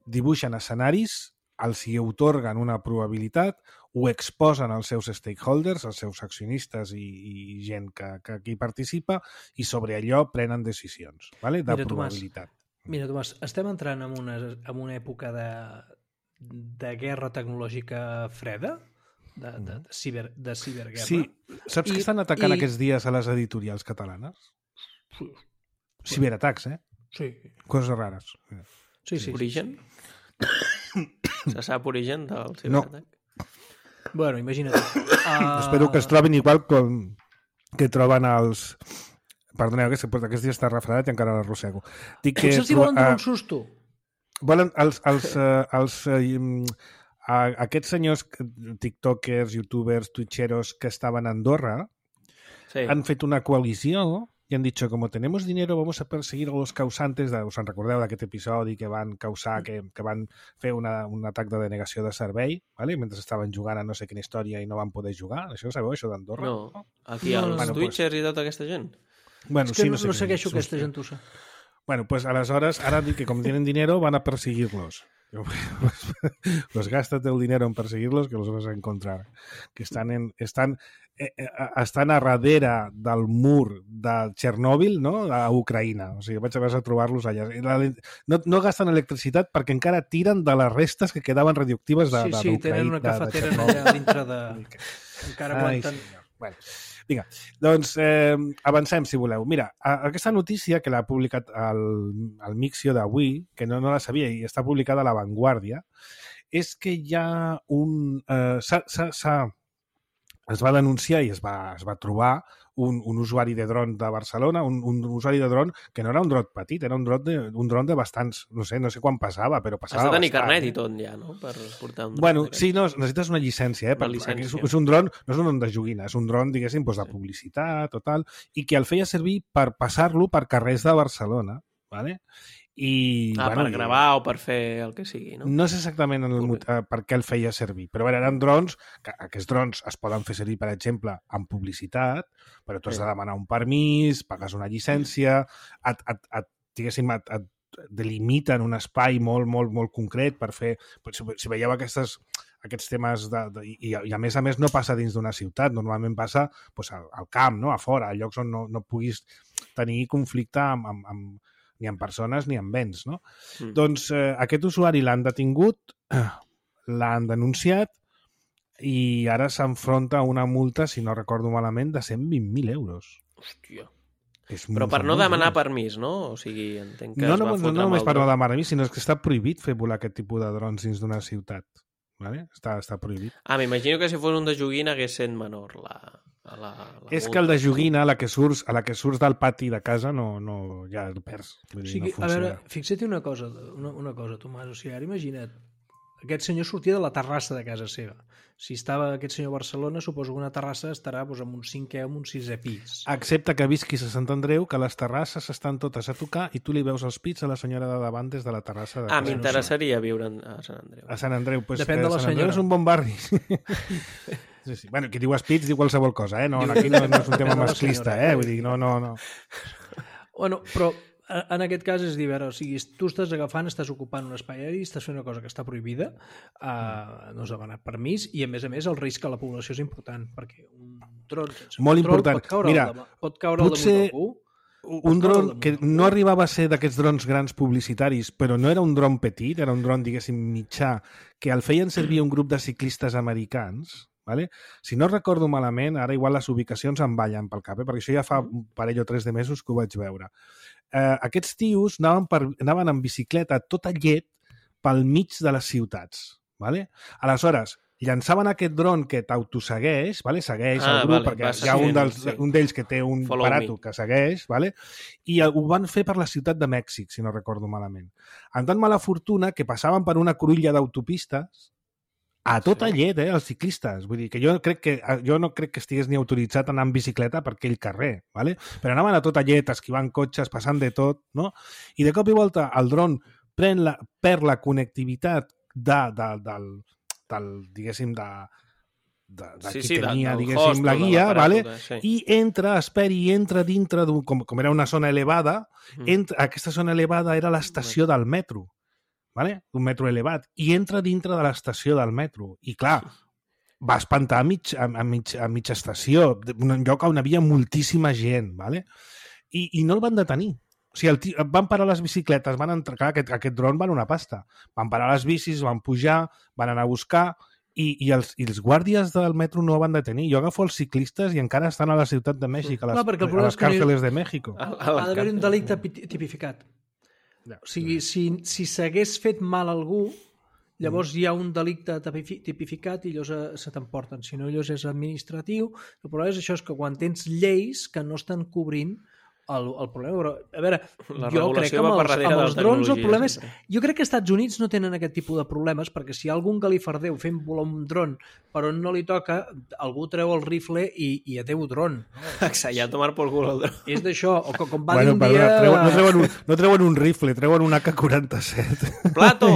dibuixen escenaris, els hi atorguen una probabilitat, ho exposen als seus stakeholders, als seus accionistes i gent que hi participa, i sobre allò prenen decisions, de probabilitat. Mira, Tomàs, estem entrant en una època de guerra tecnològica freda, de ciberguerra. Sí, saps que estan atacant aquests dies a les editorials catalanes? Ciberatacs, Sí. Coses rares. Sí. Origen? Se sap origen del ciberatac? No. Bueno, imagina't. Espero que es trobin igual que troben els... Perdoneu, aquests dies està refredat i encara l'arrossego. Potser els volen donar un susto. Volen aquests senyors tiktokers, youtubers, twitcheros que estaven a Andorra han fet una coalició y han dicho, como tenemos dinero, vamos a perseguir a los causantes, us en recordeu d'aquest episodi que van causar, que van fer un atac de denegació de servei, ¿vale? Mentre estaven jugant a no sé quina història i no van poder jugar. Això ho sabeu, això d'Andorra? No. Aquí els twitchers i tota aquesta gent? Bueno, és que no segueixo aquesta gentussa. Bueno, pues aleshores, ara dic que com tienen dinero van a perseguirlos. Pues gástate el dinero en perseguirlos que los vas a encontrar. Que estan a darrere del mur de Txernòbil, no? A Ucraïna. O sigui, vas a trobar-los allà. No gasten electricitat perquè encara tiren de les restes que quedaven radioactives d'Ucraïna. Sí, tenen una cafetera allà dintre de... Encara aguanten... Bueno, vinga, doncs avancem, si voleu. Mira, aquesta notícia que l'ha publicat el Mixio d'avui, que no la sabia i està publicada a La Vanguardia, és que hi ha un... es va denunciar i es va trobar un usuari de dron de Barcelona, un usuari de dron que no era un dron petit, era un dron de bastants, no sé quan passava, però passava bastant. Has de tenir carnet i tot ja, no? Per portar un dron. Bueno, sí, no, necessites una llicència, És un dron, no és un dron de joguina, és un dron, diguéssim, de publicitat o tal, i que el feia servir per passar-lo per carrers de Barcelona, ¿vale? Per gravar o per fer el que sigui, no? No sé exactament per què el feia servir, però eren drons, que aquests drons es poden fer servir, per exemple, en publicitat, però tu has de demanar un permís, pagues una llicència, et delimiten un espai molt, molt, molt concret per fer... Si veieu aquests temes i a més no passa dins d'una ciutat, normalment passa al camp, a fora, a llocs on no puguis tenir conflicte ni amb persones ni amb béns, no? Doncs aquest usuari l'han detingut, l'han denunciat i ara s'enfronta a una multa, si no recordo malament, de 120.000 euros. Hòstia. Però per no demanar permís, no? O sigui, entenc que es va fotre no només per no demanar permís, sinó que està prohibit fer volar aquest tipus de drons dins d'una ciutat. Vale? Està prohibit. M'imagino que si fos un de joguina hagués sent menor la és que el de joguina, a la que surts del pati de casa, no ja el perds. O sigui, a veure, fixa't una cosa, Tomàs, o sigui, ara imagina't, aquest senyor sortia de la terrassa de casa seva. Si estava aquest senyor a Barcelona, suposo que una terrassa estarà en un 5è o un 6è pis. Excepte que visquis a Sant Andreu, que les terrasses estan totes a tocar i tu li veus els pits a la senyora de davant des de la terrassa de casa. M'interessaria viure a Sant Andreu. A Sant Andreu, depèn de la Sant senyora. Andreu és un bon barri. Sí. Bueno, qui diu espits diu qualsevol cosa, no? Aquí no és un tema masclista, vull dir, no. Bueno, però en aquest cas és dir, o sigui, tu estàs ocupant un espai aeri, estàs fent una cosa que està prohibida, no has demanat permís, i a més el risc a la població és important, perquè un dron sense control pot caure al damunt d'algú. Un dron que no arribava a ser d'aquests drons grans publicitaris, però no era un dron petit, era un dron, diguéssim, mitjà, que el feien servir un grup de ciclistes americans, vale? Si no recordo malament, ara igual les ubicacions em ballen pel cap, perquè això ja fa un parell o 3 de mesos que ho vaig veure. Aquests tios anaven en bicicleta tota llet pel mig de les ciutats. Vale? Aleshores, llançaven aquest dron que t'autosegueix, vale? Segueix el grup, perquè hi ha un d'ells que té un aparato que segueix, vale? I ho van fer per la ciutat de Mèxic, si no recordo malament. Amb tan mala fortuna que passaven per una cruïlla d'autopistes a tota llet, els ciclistes. Vull dir que jo no crec que estigués ni autoritzat a anar en bicicleta per aquell carrer, vale? Però anaven a tota llet, esquivant cotxes, passant de tot, no? I de cop i volta el dron perd la connectivitat diguéssim, de qui tenia, diguéssim, la guia, vale? I entra dintre d'un... Com era una zona elevada, aquesta zona elevada era l'estació del metro, vale? Un metro elevat, i entra dintre de l'estació del metro. I clar, va espantar a mitja estació, un lloc on hi havia moltíssima gent, vale? I no el van detenir. O sigui, van parar les bicicletes, van entrar... Clar, aquest dron val una pasta. Van parar les bicis, van pujar, van anar a buscar i els guàrdies del metro no van detenir. Jo agafo els ciclistes i encara estan a la ciutat de Mèxic, a les càrceles de Mèxic. Ha d'haver un delicte tipificat. O sigui, si s'hagués fet mal a algú, llavors hi ha un delicte tipificat i llavors se t'emporten. Si no, llavors és administratiu. El problema és això, és que quan tens lleis que no estan cobrint el problema, però, a veure, jo crec que amb els drons el problema és... Jo crec que als Estats Units no tenen aquest tipus de problemes, perquè si hi ha algun galifardeu fent volar un dron per on no li toca, algú treu el rifle i adeu dron. Exacte, ja tomar por cul el dron. És d'això, o com va dir un dia... No treuen un rifle, treuen un AK-47. Plato!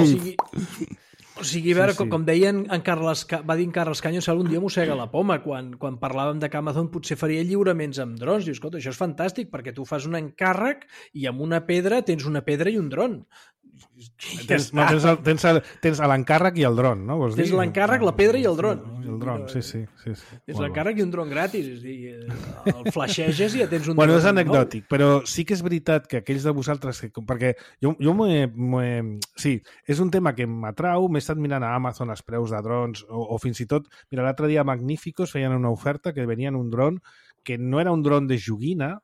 O sigui, a veure, com deien va dir en Carles Caño, un dia mossega la poma, quan parlàvem de que Amazon potser faria lliuraments amb drons. Dius, escolta, això és fantàstic, perquè tu fas un encàrrec i amb una pedra tens una pedra i un dron. Tens l'encàrrec i el dron, no? Tens l'encàrrec, la pedra i el dron. El dron, sí. Tens l'encàrrec i un dron gratis. És dir, el flasheges i ja tens un dron. Bueno, és anecdòtic, però sí que és veritat que aquells de vosaltres... Perquè jo sí, és un tema que m'atrau, m'he estat mirant a Amazon els preus de drons, o fins i tot... Mira, l'altre dia a Magníficos feien una oferta que venien un dron que no era un dron de joguina,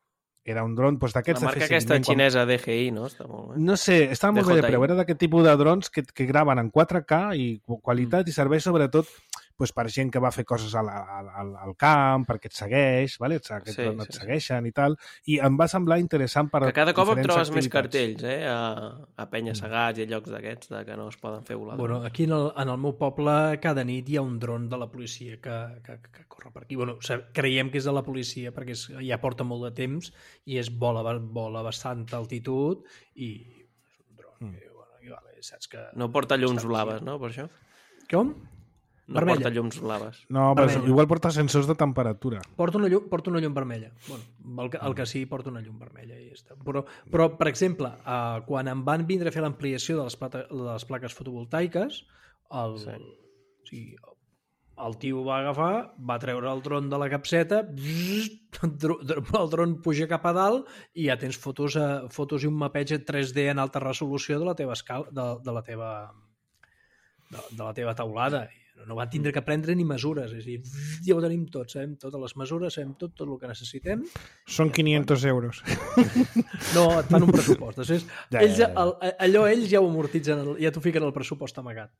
era un dron d'aquests... La marca aquesta xinesa DJI, no? Està molt bé. No sé, estava molt bé de preu. Era d'aquest tipus de drons que graven en 4K i qualitat i serveix sobretot per gent que va fer coses al camp, perquè et segueix, et segueixen i tal, i em va semblar interessant per... Que cada cop em trobes més cartells, a penya-segats i a llocs d'aquests que no es poden fer volar. Bueno, aquí en el meu poble cada nit hi ha un dron de la policia que corre per aquí. Bueno, creiem que és de la policia perquè ja porta molt de temps i vola a bastant altitud i és un dron que, saps que... No porta llums blaves, no, per això? Com? No vermella. Porta llums blaves. No, però igual porta sensors de temperatura. Porta una llum vermella. Bueno, el que sí, porta una llum vermella i ja està. Però per exemple, quan em van vindre a fer l'ampliació de les plaques fotovoltaiques, el tio va agafar, va treure el dron de la capseta, el dron puja cap a dalt i ja tens fotos i un mapeig 3D en alta resolució de la teva escala, de la teva taulada. No van tindre que prendre ni mesures, és a dir, ja ho tenim tot, sabem totes les mesures, sabem tot el que necessitem. Són 500 euros. No, et fan un pressupost. Allò ells ja ho amortitzen, ja t'ho fiquen al pressupost amagat.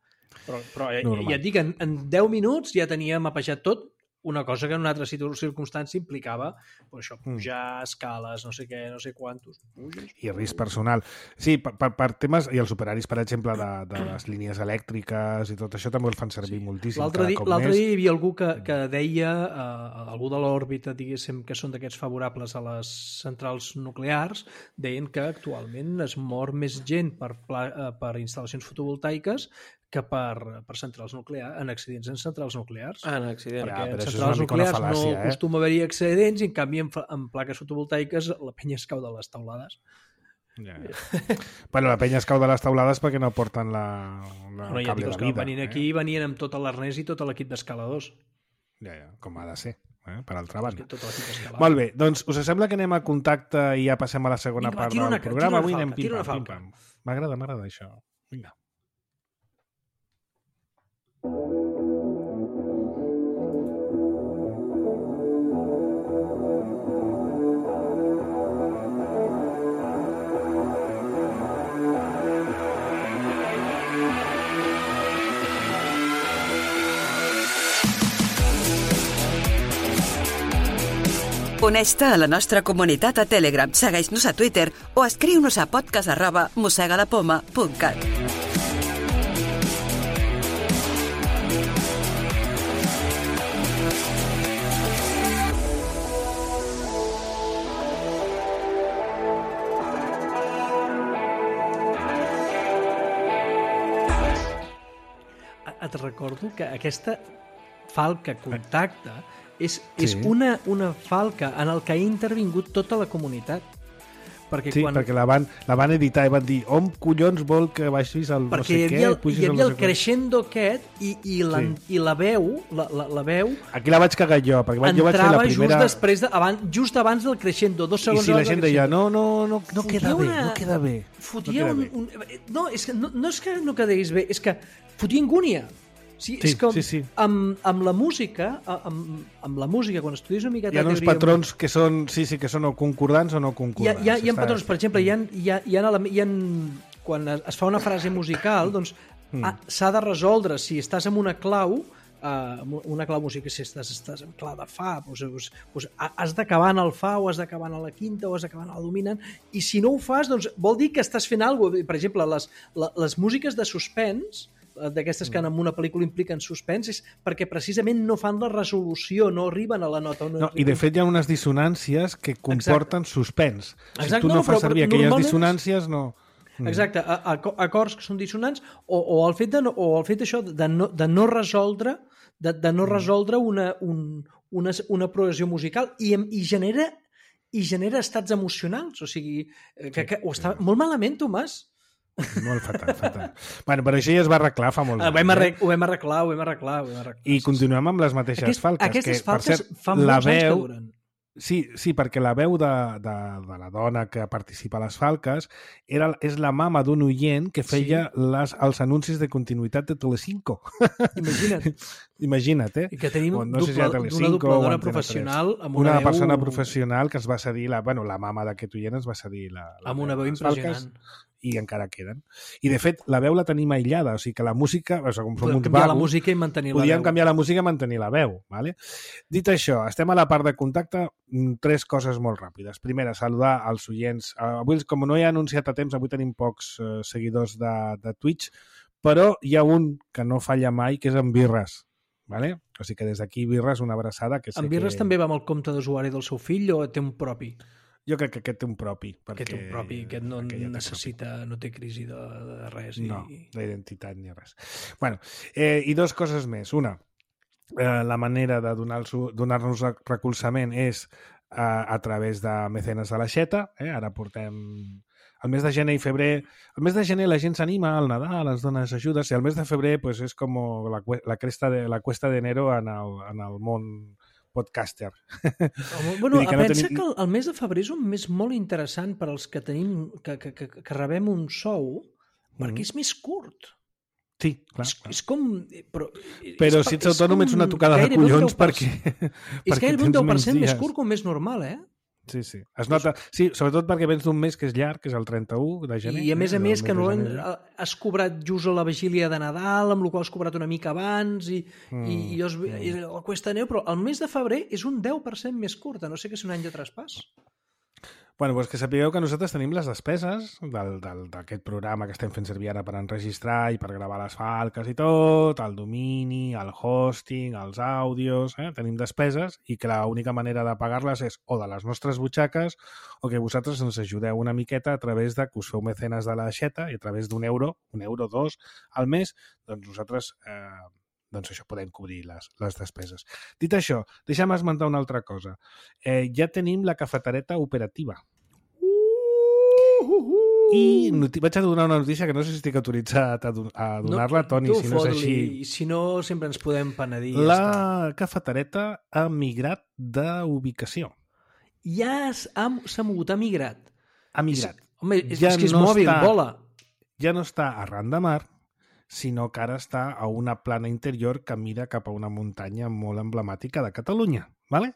Però ja et dic, en 10 minuts ja tenia mapejat tot, una cosa que en una altra circumstància implicava pujar escales, no sé què, no sé quantos. I risc personal. Sí, per temes, i els operaris, per exemple, de les línies elèctriques i tot això també el fan servir moltíssim. L'altre dia hi havia algú que deia, algú de l'òrbita, diguéssim, que són d'aquests favorables a les centrals nuclears, deien que actualment es mor més gent per instal·lacions fotovoltaiques que per centrals nuclears, en accidents en centrals nuclears. En accidents. Perquè en centrals nuclears no acostuma a haver-hi accidents i en canvi en plaques fotovoltaiques la penya es cau de les taulades. Bueno, la penya es cau de les taulades perquè no porten la cable de vida. Venien aquí i venien amb tot l'arnès i tot l'equip d'escaladors. Ja, com ha de ser. Per altra banda. Molt bé, doncs us sembla que anem a contacte i ja passem a la segona part del programa? Avui anem pim-pam. M'agrada això. Vinga. Uneix-te a la nostra comunitat a Telegram, segueix-nos a Twitter o escriu-nos a podcast@mossegadapoma.cat. Et recordo que aquesta falca contacta és una falca en el que ha intervingut tota la comunitat. Perquè perquè la van editar i van dir on collons vol que baixis el no sé què, hi havia el crescendo aquest i la veu aquí la vaig cagar jo, perquè jo vaig fer la primera just abans del crescendo, 2 segons. I si la gent deia, no queda bé. No, és que no quedés bé, és que fotia angúnia. Sí. Amb la música, quan estudies una miqueta... Hi ha uns patrons que són, que són o concordants o no concordants. Hi ha patrons, per exemple, quan es fa una frase musical, doncs s'ha de resoldre si estàs amb una clau musical, si estàs en clau de fa, doncs has d'acabar en el fa o has d'acabar en la quinta o has d'acabar en el dominant, i si no ho fas, doncs vol dir que estàs fent alguna cosa. Per exemple, les músiques de suspens, d'aquestes que en una pel·lícula impliquen suspens, és perquè precisament no fan la resolució, no arriben a la nota. I de fet hi ha unes dissonàncies que comporten suspens. Si tu no fas servir aquelles dissonàncies, no... Exacte, acords que són dissonants o el fet d'això de no resoldre una progressió musical i genera estats emocionals, o sigui, que ho està molt malament, Tomàs. Molt fatal. Bueno, però això ja es va arreglar fa molt temps. Ho vam arreglar. I continuem amb les mateixes falques. Aquestes falques fa molts anys que duren. Sí, perquè la veu de la dona que participa a les falques és la mama d'un oient que feia els anuncis de continuïtat de Telecinco. Imagina't, I que tenim una dobladora professional amb una persona professional que es va cedir, la mama d'aquest oient es va cedir amb una veu impressionant. I encara queden. I, de fet, la veu la tenim aïllada, o sigui que la música... Podem canviar la música i mantenir la veu. Podríem canviar la música i mantenir la veu. Vale? Dit això, estem a la part de contacte, 3 coses molt ràpides. Primera, saludar als oients. Avui, com no he anunciat a temps, avui tenim pocs seguidors de Twitch, però hi ha un que no falla mai, que és en Birres. Vale? O sigui que des d'aquí, Birres, una abraçada. En Birres també va amb el compte d'usuari del seu fill o té un propi? Jo crec que aquest té un propi. Aquest no necessita, no té crisi de res. No, d'identitat ni res. Bueno, i 2 coses més. Una, la manera de donar-nos recolzament és a través de Mecenes de l'Aixeta. Ara portem el mes de gener i febrer. El mes de gener la gent s'anima al Nadal, ens dones ajudes, i el mes de febrer pues, és com la cuesta de enero en el món podcaster. Bueno, pensa que el mes de febrer és un mes molt interessant per als que tenim que rebem un sou, perquè és més curt. Sí, clar. És com... Però si ets autònom ets una tocada de collons perquè... És gairebé un 10% més curt que un mes normal, Sí. Es nota, sí, sobretot perquè vens d'un mes que és llarg, que és el 31 de gener. I a més que has cobrat just a la vigília de Nadal, amb la qual has cobrat una mica abans, i la cuesta neu, però el mes de febrer és un 10% més curt, no sé que és un any de traspàs. Bueno, doncs que sapigueu que nosaltres tenim les despeses d'aquest programa que estem fent servir ara per enregistrar i per gravar les falques i tot, el domini, el hosting, els àudios, tenim despeses i que l'única manera de pagar-les és o de les nostres butxaques o que vosaltres ens ajudeu una miqueta a través de que us feu mecenes de la xeta i a través d'un euro, dos al mes, doncs nosaltres doncs això, podem cobrir les despeses. Dit això, deixa'm esmentar una altra cosa. Ja tenim la cafetereta operativa. I vaig a donar una notícia que no sé si estic autoritzat a donar-la, Toni, si no és així. Si no, sempre ens podem penedir. La cafetereta ha migrat d'ubicació. Ja s'ha mogut, ha migrat. Ha migrat. Home, és que és mòbil, vola. Ja no està arran de mar, sinó que ara està a una plana interior que mira cap a una muntanya molt emblemàtica de Catalunya. ¿Vale?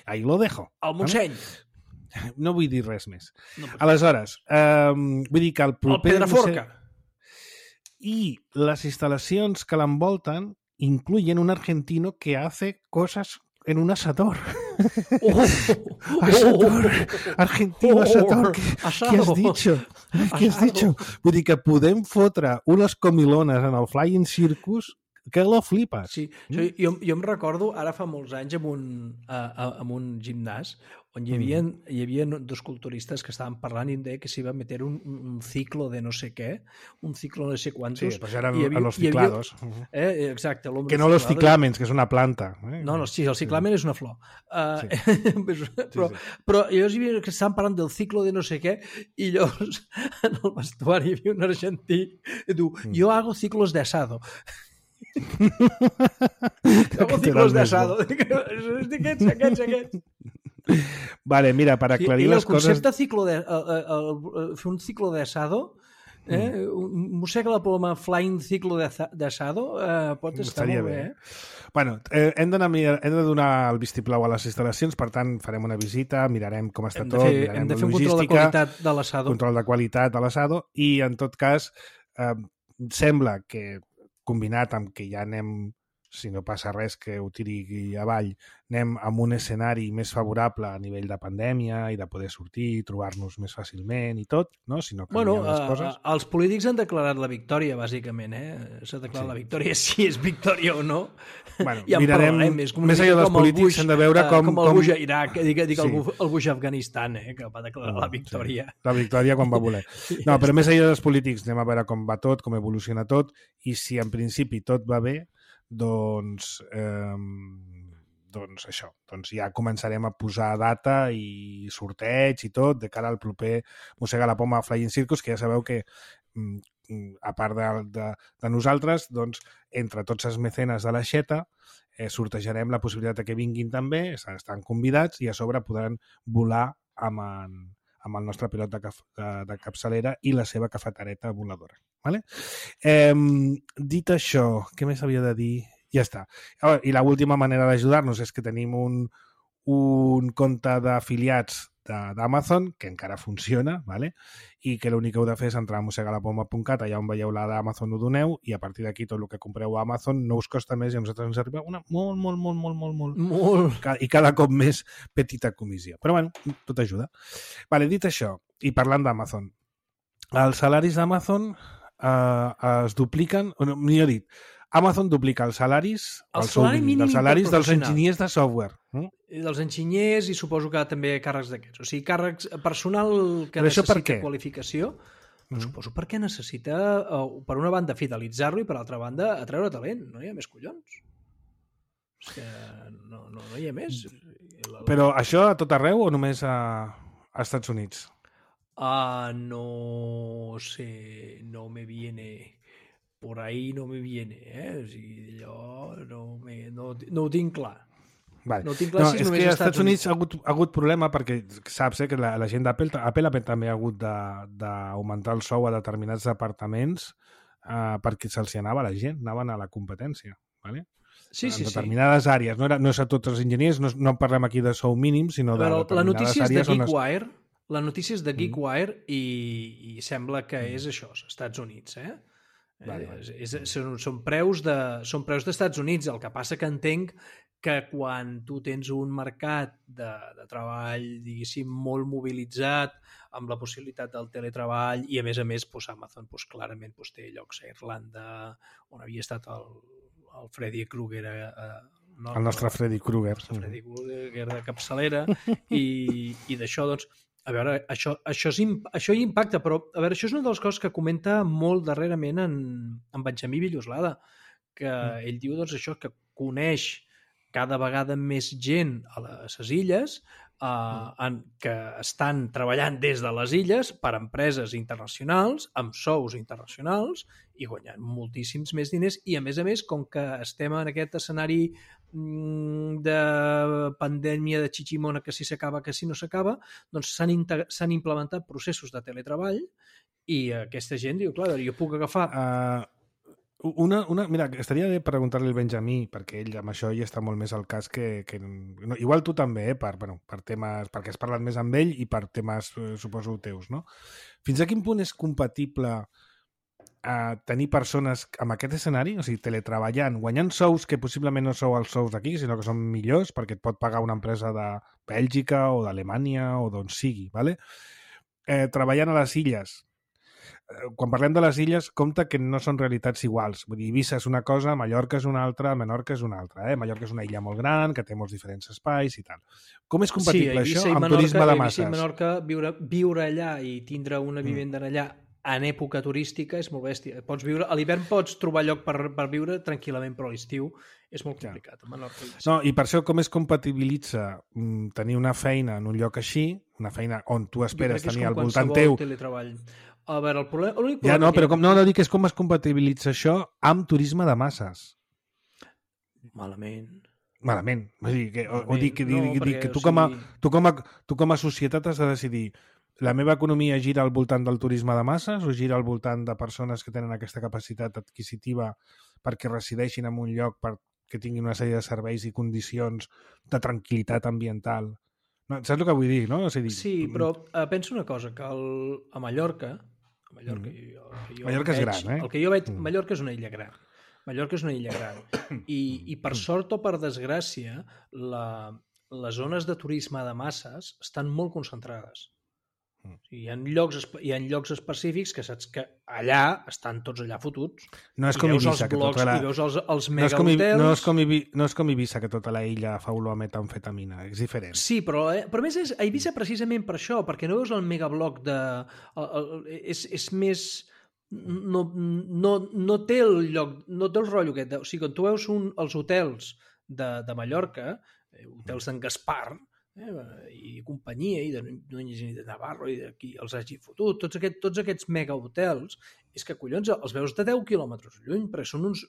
Ahí lo dejo. El Montseny. No vull dir res més. No, aleshores, vull dir que el proper... El Pedraforca. I les instal·lacions que l'envolten incluyen un argentino que hace cosas en un asador. Asador. Argentino asador. ¿Qué has dicho? ¿Qué has dicho? Vull dir que podem fotre unes comilones en el Flying Circus que lo flipes. Sí, jo em recordo, ara fa molts anys, en un gimnàs on hi havia dos culturistes que estaven parlant i em deia que s'hi va meter un ciclo de no sé què, un ciclo de no sé quantos. Sí, pues eran los ciclados. Exacte. Que no los ciclamens, que és una planta. No, sí, el ciclamen és una flor. Però llavors hi havia que estaven parlant del ciclo de no sé què i llavors en el vestuari hi havia un argentí que diu, jo hago ciclos de asado. Hago ciclos de asado. Aquests. Vale, mira, para aclarir les coses... El concepte fer un ciclo de asado, mossega la ploma flying ciclo de asado, pot estar molt bé. Bueno, hem de donar el vistiplau a les instal·lacions, per tant, farem una visita, mirarem com està tot, mirarem hem de fer la un control de qualitat de l'assado. Control de qualitat de l'assado, i en tot cas, sembla que combinat amb que ja anem, si no passa res que ho tiri avall, anem amb un escenari més favorable a nivell de pandèmia i de poder sortir, trobar-nos més fàcilment i tot, no? Si no canvien les coses. Els polítics han declarat la victòria, bàsicament, S'ha declarat la victòria, si és victòria o no. Bueno, ja mirarem, més enllà dels polítics hem de veure com... Com el Bush a Iraq, el Bush a Afganistan, que va declarar la victòria. Sí. La victòria quan va voler. No, però més enllà dels polítics anem a veure com va tot, com evoluciona tot, i si en principi tot va bé, doncs això, doncs ja començarem a posar data i sorteig i tot de cara al proper Mossega la Poma Flying Circus, que ja sabeu que a part de nosaltres, doncs entre tots els mecenes de la xeta sortejarem la possibilitat que vinguin també, estan convidats i a sobre podran volar amb el nostre pilot de capçalera i la seva cafetereta voladora. Vale? Dit això, què més havia de dir? Ja està. I l'última manera d'ajudar-nos és que tenim un compte d'afiliats d'Amazon, que encara funciona, ¿vale? I que l'únic que heu de fer és entrar a mossegalapoma.cat, allà on veieu la d'Amazon ho doneu, i a partir d'aquí tot el que compreu a Amazon no us costa més i a nosaltres ens arriba una molt. I cada cop més petita comissió. Però bueno, tot ajuda. Vale, dit això, i parlant d'Amazon, els salaris d'Amazon es dupliquen, millor dit, Amazon duplica els salaris dels enginyers de software. Dels enginyers i suposo que també càrrecs d'aquests. O sigui, càrrecs personal que necessita qualificació, suposo perquè necessita, per una banda, fidelitzar-lo i per altra banda, atreure talent. No hi ha més collons. És que no hi ha més. Però això a tot arreu o només a Estats Units? No sé, no me viene... Por ahí no me viene, O sigui, allò no ho tinc clar. Vale. No ho tinc clar si és que als Estats Units ha hagut problema perquè saps que la gent d'Apple també ha hagut d'augmentar el sou a determinats departaments perquè se'ls anava la gent, anaven a la competència. Vale? Sí. En determinades àrees. No és a tots els enginyers, no parlem aquí de sou mínim, sinó de determinades àrees. La notícia és de GeekWire i sembla que és això, als Estats Units, Són preus d'Estats Units. El que passa que entenc que quan tu tens un mercat de treball, diguéssim, molt mobilitzat, amb la possibilitat del teletreball, i a més Amazon clarament té llocs a Irlanda, on havia estat el Freddy Krueger, el nostre Freddy Krueger. El nostre Freddy Krueger de capçalera, i d'això, doncs, a veure, això hi impacta, però a veure, això és una de les coses que comenta molt darrerament en Benjamí Villoslada, que ell diu, doncs, això, que coneix cada vegada més gent a les illes que estan treballant des de les illes per empreses internacionals, amb sous internacionals, i guanyant moltíssims més diners, i a més, com que estem en aquest escenari de pandèmia de xiximona, que si s'acaba, que si no s'acaba, doncs s'han implementat processos de teletreball, i aquesta gent diu, clar, jo puc agafar... Mira, estaria bé preguntar-li al Benjamí, perquè ell amb això hi està molt més al cas que no, igual tu també, per temes, perquè has parlat més amb ell i per temes, suposo, teus, no? Fins a quin punt és compatible tenir persones amb aquest escenari, o sigui, teletreballant, guanyant sous que possiblement no sou els sous d'aquí, sinó que són millors, perquè et pot pagar una empresa de Bèlgica o d'Alemanya o d'on sigui, ¿vale? Treballant a les illes. Quan parlem de les illes, compte que no són realitats iguals. Vull dir, Eivissa és una cosa, Mallorca és una altra, Menorca és una altra. Mallorca és una illa molt gran, que té molts diferents espais i tal. Com és compatible això amb turisme de masses? Eivissa i Menorca, viure allà i tindre una vivenda allà en època turística és molt bèstia. A l'hivern pots trobar lloc per viure tranquil·lament, però a l'estiu és molt complicat. No, i per això com es compatibilitza tenir una feina en un lloc així, una feina on tu esperes tenir al voltant teu... A veure, el problema... Ja, no, però no dic és com es compatibilitza això amb turisme de masses. Malament. Vull dir, que tu com a societat has de decidir la meva economia gira al voltant del turisme de masses o gira al voltant de persones que tenen aquesta capacitat adquisitiva perquè resideixin en un lloc que tinguin una sèrie de serveis i condicions de tranquil·litat ambiental. No, saps el que vull dir, no? Sí, però penso una cosa, que a Mallorca... Mallorca és gran, El que jo veig... Mallorca és una illa gran. I per sort o per desgràcia, les zones de turisme de masses estan molt concentrades. Hi ha llocs específics que saps que allà estan tots allà fotuts. No és com Eivissa, que tota la... I veus els megahotels... No és com Eivissa, que tota la illa fa olor a metamfetamina. És diferent. Sí, però a més és a Eivissa precisament per això, perquè no veus el megabloc de... És més... No té el lloc, no té el rotllo aquest. O sigui, quan tu veus els hotels de Mallorca, hotels d'en Gaspar, i companyia, i de Núñez i de Navarro, i d'aquí els hagi fotut, tots aquests megahotels, és que collons els veus de 10 quilòmetres lluny, perquè són uns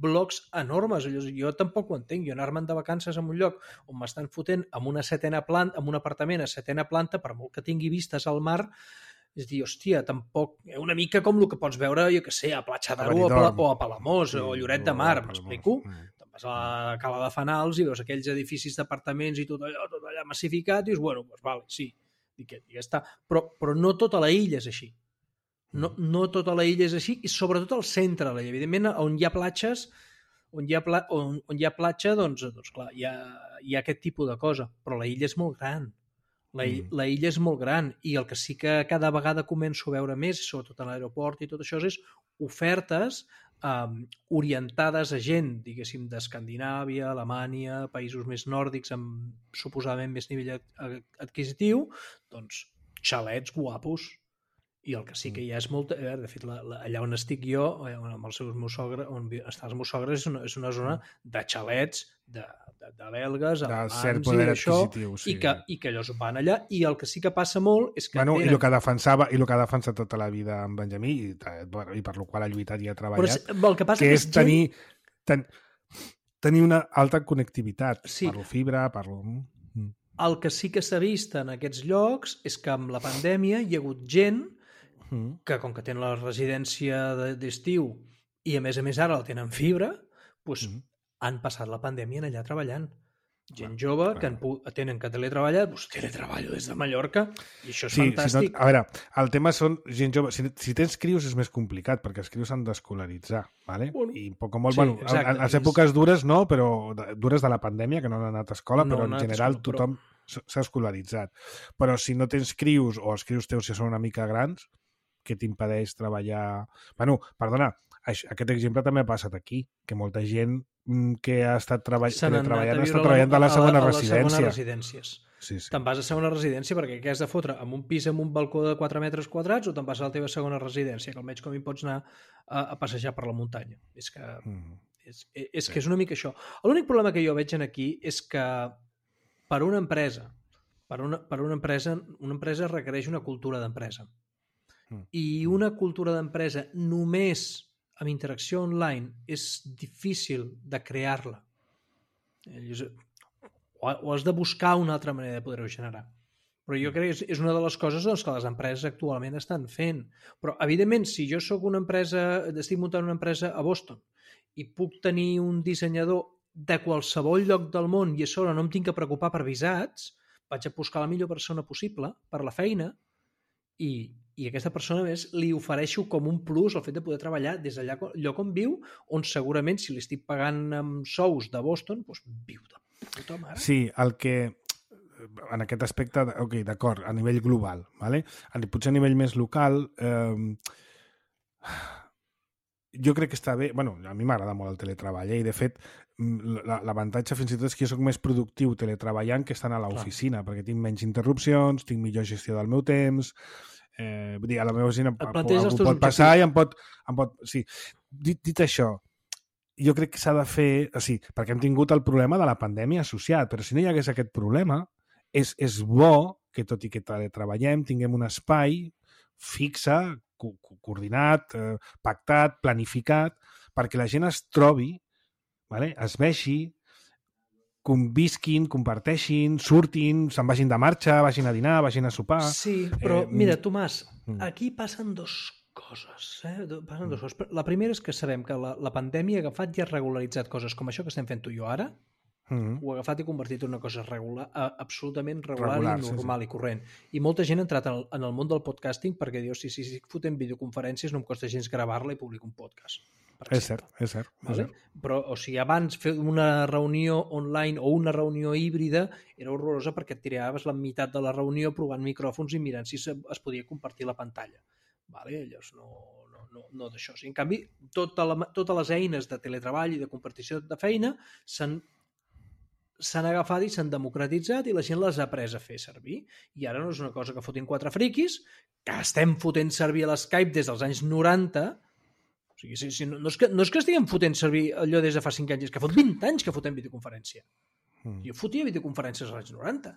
blocs enormes. Jo tampoc ho entenc, jo anar-me'n de vacances en un lloc on m'estan fotent amb una setena planta, amb un apartament a setena planta, per molt que tingui vistes al mar, és dir, hòstia, tampoc... Una mica com el que pots veure, jo què sé, a Platja d'Aro o a Palamós o a Lloret de Mar, m'explico? Vas a la Cala de Fanals i veus aquells edificis d'apartaments i tot allà massificat i dius, bueno, doncs vale, sí, i ja està. Però no tota la illa és així. No tota la illa és així, i sobretot al centre de l'illa. Evidentment, on hi ha platges, on hi ha platja, doncs clar, hi ha aquest tipus de cosa, però la illa és molt gran. La illa és molt gran, i el que sí que cada vegada començo a veure més, sobretot a l'aeroport i tot això, és ofertes orientades a gent, diguéssim, d'Escandinàvia, Alemanya, països més nòrdics amb suposadament més nivell adquisitiu, doncs xalets guapos. I el que sí que hi ha és molt... De fet, allà on estic jo, amb els meus sogres, on estan els meus sogres, és una zona de xalets, de belgues, alemans i d'això, i que ells van allà, i el que sí que passa molt és que... I el que ha defensat tota la vida en Benjamí, i per la qual ha lluitat i ha treballat, que és tenir una alta connectivitat. Parlo fibra, El que sí que s'ha vist en aquests llocs és que amb la pandèmia hi ha hagut gent que, com que tenen la residència d'estiu i a més ara la tenen fibra, doncs han passat la pandèmia allà treballant. Gent jove que tenen que teletreballar, doncs teletreballo des de Mallorca i això és fantàstic. Si no, a veure, el tema són gent jove. Si tens crios és més complicat, perquè els crios s'han d'escolaritzar, ¿vale? I poc o molt, a les èpoques dures no, però dures de la pandèmia, que no han anat a escola, però en general tothom s'ha escolaritzat. Però si no tens crios, o els crios teus si són una mica grans, que t'impedeix treballar... Bueno, perdona, aquest exemple també ha passat aquí, que molta gent que ha estat teletreballant ha estat treballant de la segona residència. Sí. Te'n vas a segona residència perquè què has de fotre? Amb un pis amb un balcó de 4 metres quadrats o te'n vas a la teva segona residència, que almenys com hi pots anar a passejar per la muntanya. És que és una mica això. L'únic problema que jo veig aquí és que per una empresa requereix una cultura d'empresa. I una cultura d'empresa només amb interacció online és difícil de crear-la. O has de buscar una altra manera de poder-ho generar. Però jo crec que és una de les coses que les empreses actualment estan fent. Però, evidentment, si jo soc una empresa, estic muntant una empresa a Boston i puc tenir un dissenyador de qualsevol lloc del món i a sobre no em tinc que preocupar per visats, vaig a buscar la millor persona possible per la feina i aquesta persona més li ofereixo com un plus el fet de poder treballar des d'allà lloc on viu, on segurament si li estic pagant amb sous de Boston, doncs viu de puta mare. Sí, el que en aquest aspecte, ok, d'acord, a nivell global, ¿vale? Potser a nivell més local, jo crec que està bé, bueno, a mi m'agrada molt el teletreball, i de fet l'avantatge fins i tot és que jo soc més productiu teletreballant que estant a l'oficina, perquè tinc menys interrupcions, tinc millor gestió del meu temps, vull dir, a la meva oficina algú pot passar i em pot sí. Dit això, jo crec que s'ha de fer, o sigui, perquè hem tingut el problema de la pandèmia associat, però si no hi hagués aquest problema, és bo que tot i que treballem tinguem un espai fixe, coordinat, pactat, planificat, perquè la gent es trobi, vale? Es vegi, convisquin, comparteixin, surtin, se'n vagin de marxa, vagin a dinar, vagin a sopar... Sí, però mira, Tomàs, aquí passen dues coses. Passen dues coses. La primera és que sabem que la pandèmia ha agafat i ha regularitzat coses com això que estem fent tu i jo ara, ho ha agafat i convertit en una cosa absolutament regular i normal i corrent. I molta gent ha entrat en el món del podcasting perquè diu, si estic fotent videoconferències no em costa gens gravar-la i publicar un podcast. És cert. Vale? Però, o sigui, abans fer una reunió online o una reunió híbrida era horrorosa perquè et tiraves la meitat de la reunió provant micròfons i mirant si es podia compartir la pantalla. Vale? Llavors no d'això. En canvi, totes les eines de teletreball i de compartició de feina s'han agafat i s'han democratitzat i la gent les ha après a fer servir. I ara no és una cosa que fotin 4 friquis, que estem fotent servir a l'Skype des dels anys 90. O sigui, no és que estiguem fotent servir allò des de fa 5 anys, és que fot 20 anys que fotem videoconferència. Jo fotia videoconferències als anys 90.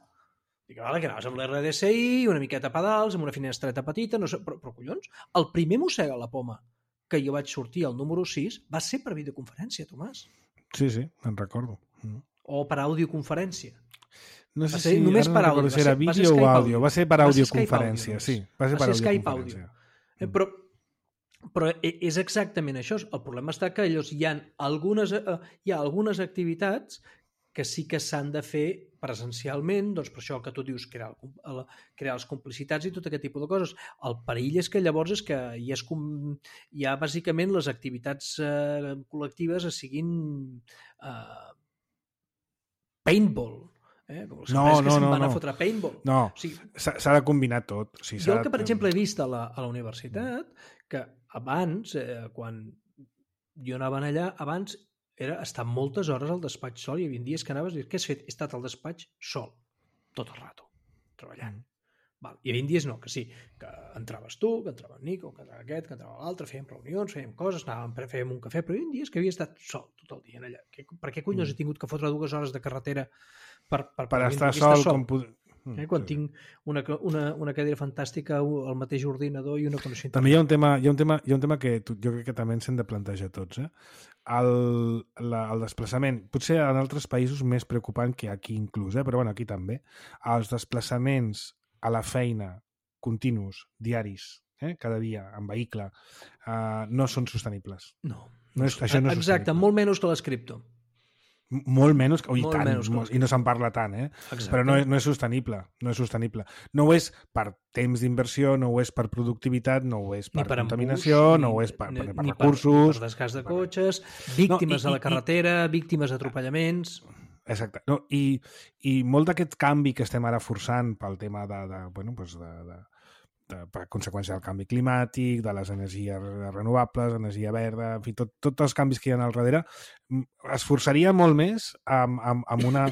Dic, vale, que anaves amb l'RDSI, una miqueta a pedals, amb una finestreta petita, no sé, però collons, el primer Mossega la Poma que jo vaig sortir al número 6 va ser per videoconferència, Tomàs. Sí, en recordo. O per audioconferència. No sé si només per àudio. Si era vídeo o àudio. Va ser per audioconferència, sí. Va ser per audioconferència. Però és exactament això. El problema està que hi ha algunes activitats que sí que s'han de fer presencialment, doncs per això el que tu dius, crear les complicitats i tot aquest tipus de coses. El perill és que llavors és que ja bàsicament les activitats col·lectives siguin paintball. Com les empreses que se'n van a fotre paintball. No, s'ha de combinar tot. Jo el que, per exemple, he vist a la universitat, que abans, quan jo anava allà, abans era estar moltes hores al despatx sol i hi havia dies que anaves i dius, què has fet? He estat al despatx sol, tot el rato, treballant. Val. I hi havia dies no, que sí, que entraves tu, que entrava el Nico, que entrava aquest, que entrava l'altre, fèiem reunions, fèiem coses, fèiem un cafè, però hi havia dies que havia estat sol tot el dia allà. Per què collons he tingut que fotre 2 hores de carretera per estar sol? Quan tinc una cadira fantàstica, el mateix ordinador i una connexió. També hi ha un tema que jo crec que també ens hem de plantejar tots. El desplaçament, potser en altres països més preocupant que aquí inclús, però bueno, aquí també. Els desplaçaments a la feina continus, diaris, cada dia, en vehicle, no són sostenibles. No. Això no és exacte, molt menys que les cripto. Molt menys, i no se'n parla tant, però no és sostenible. No ho és per temps d'inversió, no ho és per productivitat, no ho és per contaminació, no ho és per recursos... Per desgast de cotxes, víctimes a la carretera, víctimes d'atropellaments... Exacte. I molt d'aquest canvi que estem ara forçant pel tema per conseqüència del canvi climàtic, de les energies renovables, energia verda, en fi, tots els canvis que hi ha al darrere, es forçaria molt més amb una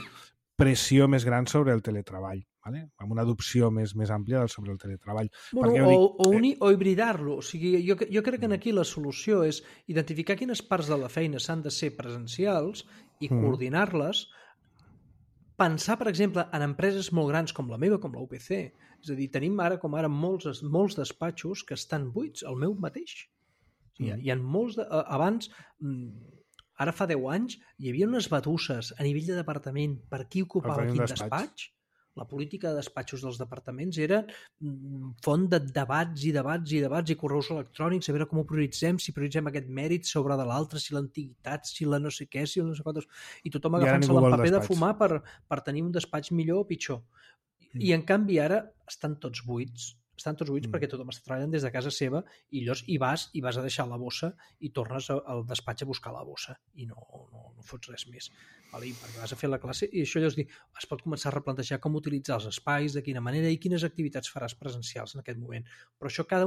pressió més gran sobre el teletreball, ¿vale? Amb una adopció més àmplia sobre el teletreball. O hibridar-lo. O sigui, jo crec que aquí la solució és identificar quines parts de la feina s'han de ser presencials i coordinar-les. Pensar, per exemple, en empreses molt grans com la meva, com la UPC. És a dir, tenim ara molts despatxos que estan buits, el meu mateix. O sigui, hi ha molts... Abans, ara fa 10 anys, hi havia unes batusses a nivell de departament per qui ocupava quin despatx. La política de despatxos dels departaments era font de debats i correus electrònics, a veure com ho prioritzem, si prioritzem aquest mèrit sobre de l'altre, si l'antiguitat, si la no sé què, si la no sé quantos... I tothom agafant-se el paper de fumar per tenir un despatx millor o pitjor. I en canvi ara estan tots buits perquè tothom està treballant des de casa seva i llavors hi vas a deixar la bossa i tornes al despatx a buscar la bossa i no fots res més. Vale? I perquè vas a fer la classe i això llavors es pot començar a replantejar com utilitzar els espais, de quina manera i quines activitats faràs presencials en aquest moment. Però això cada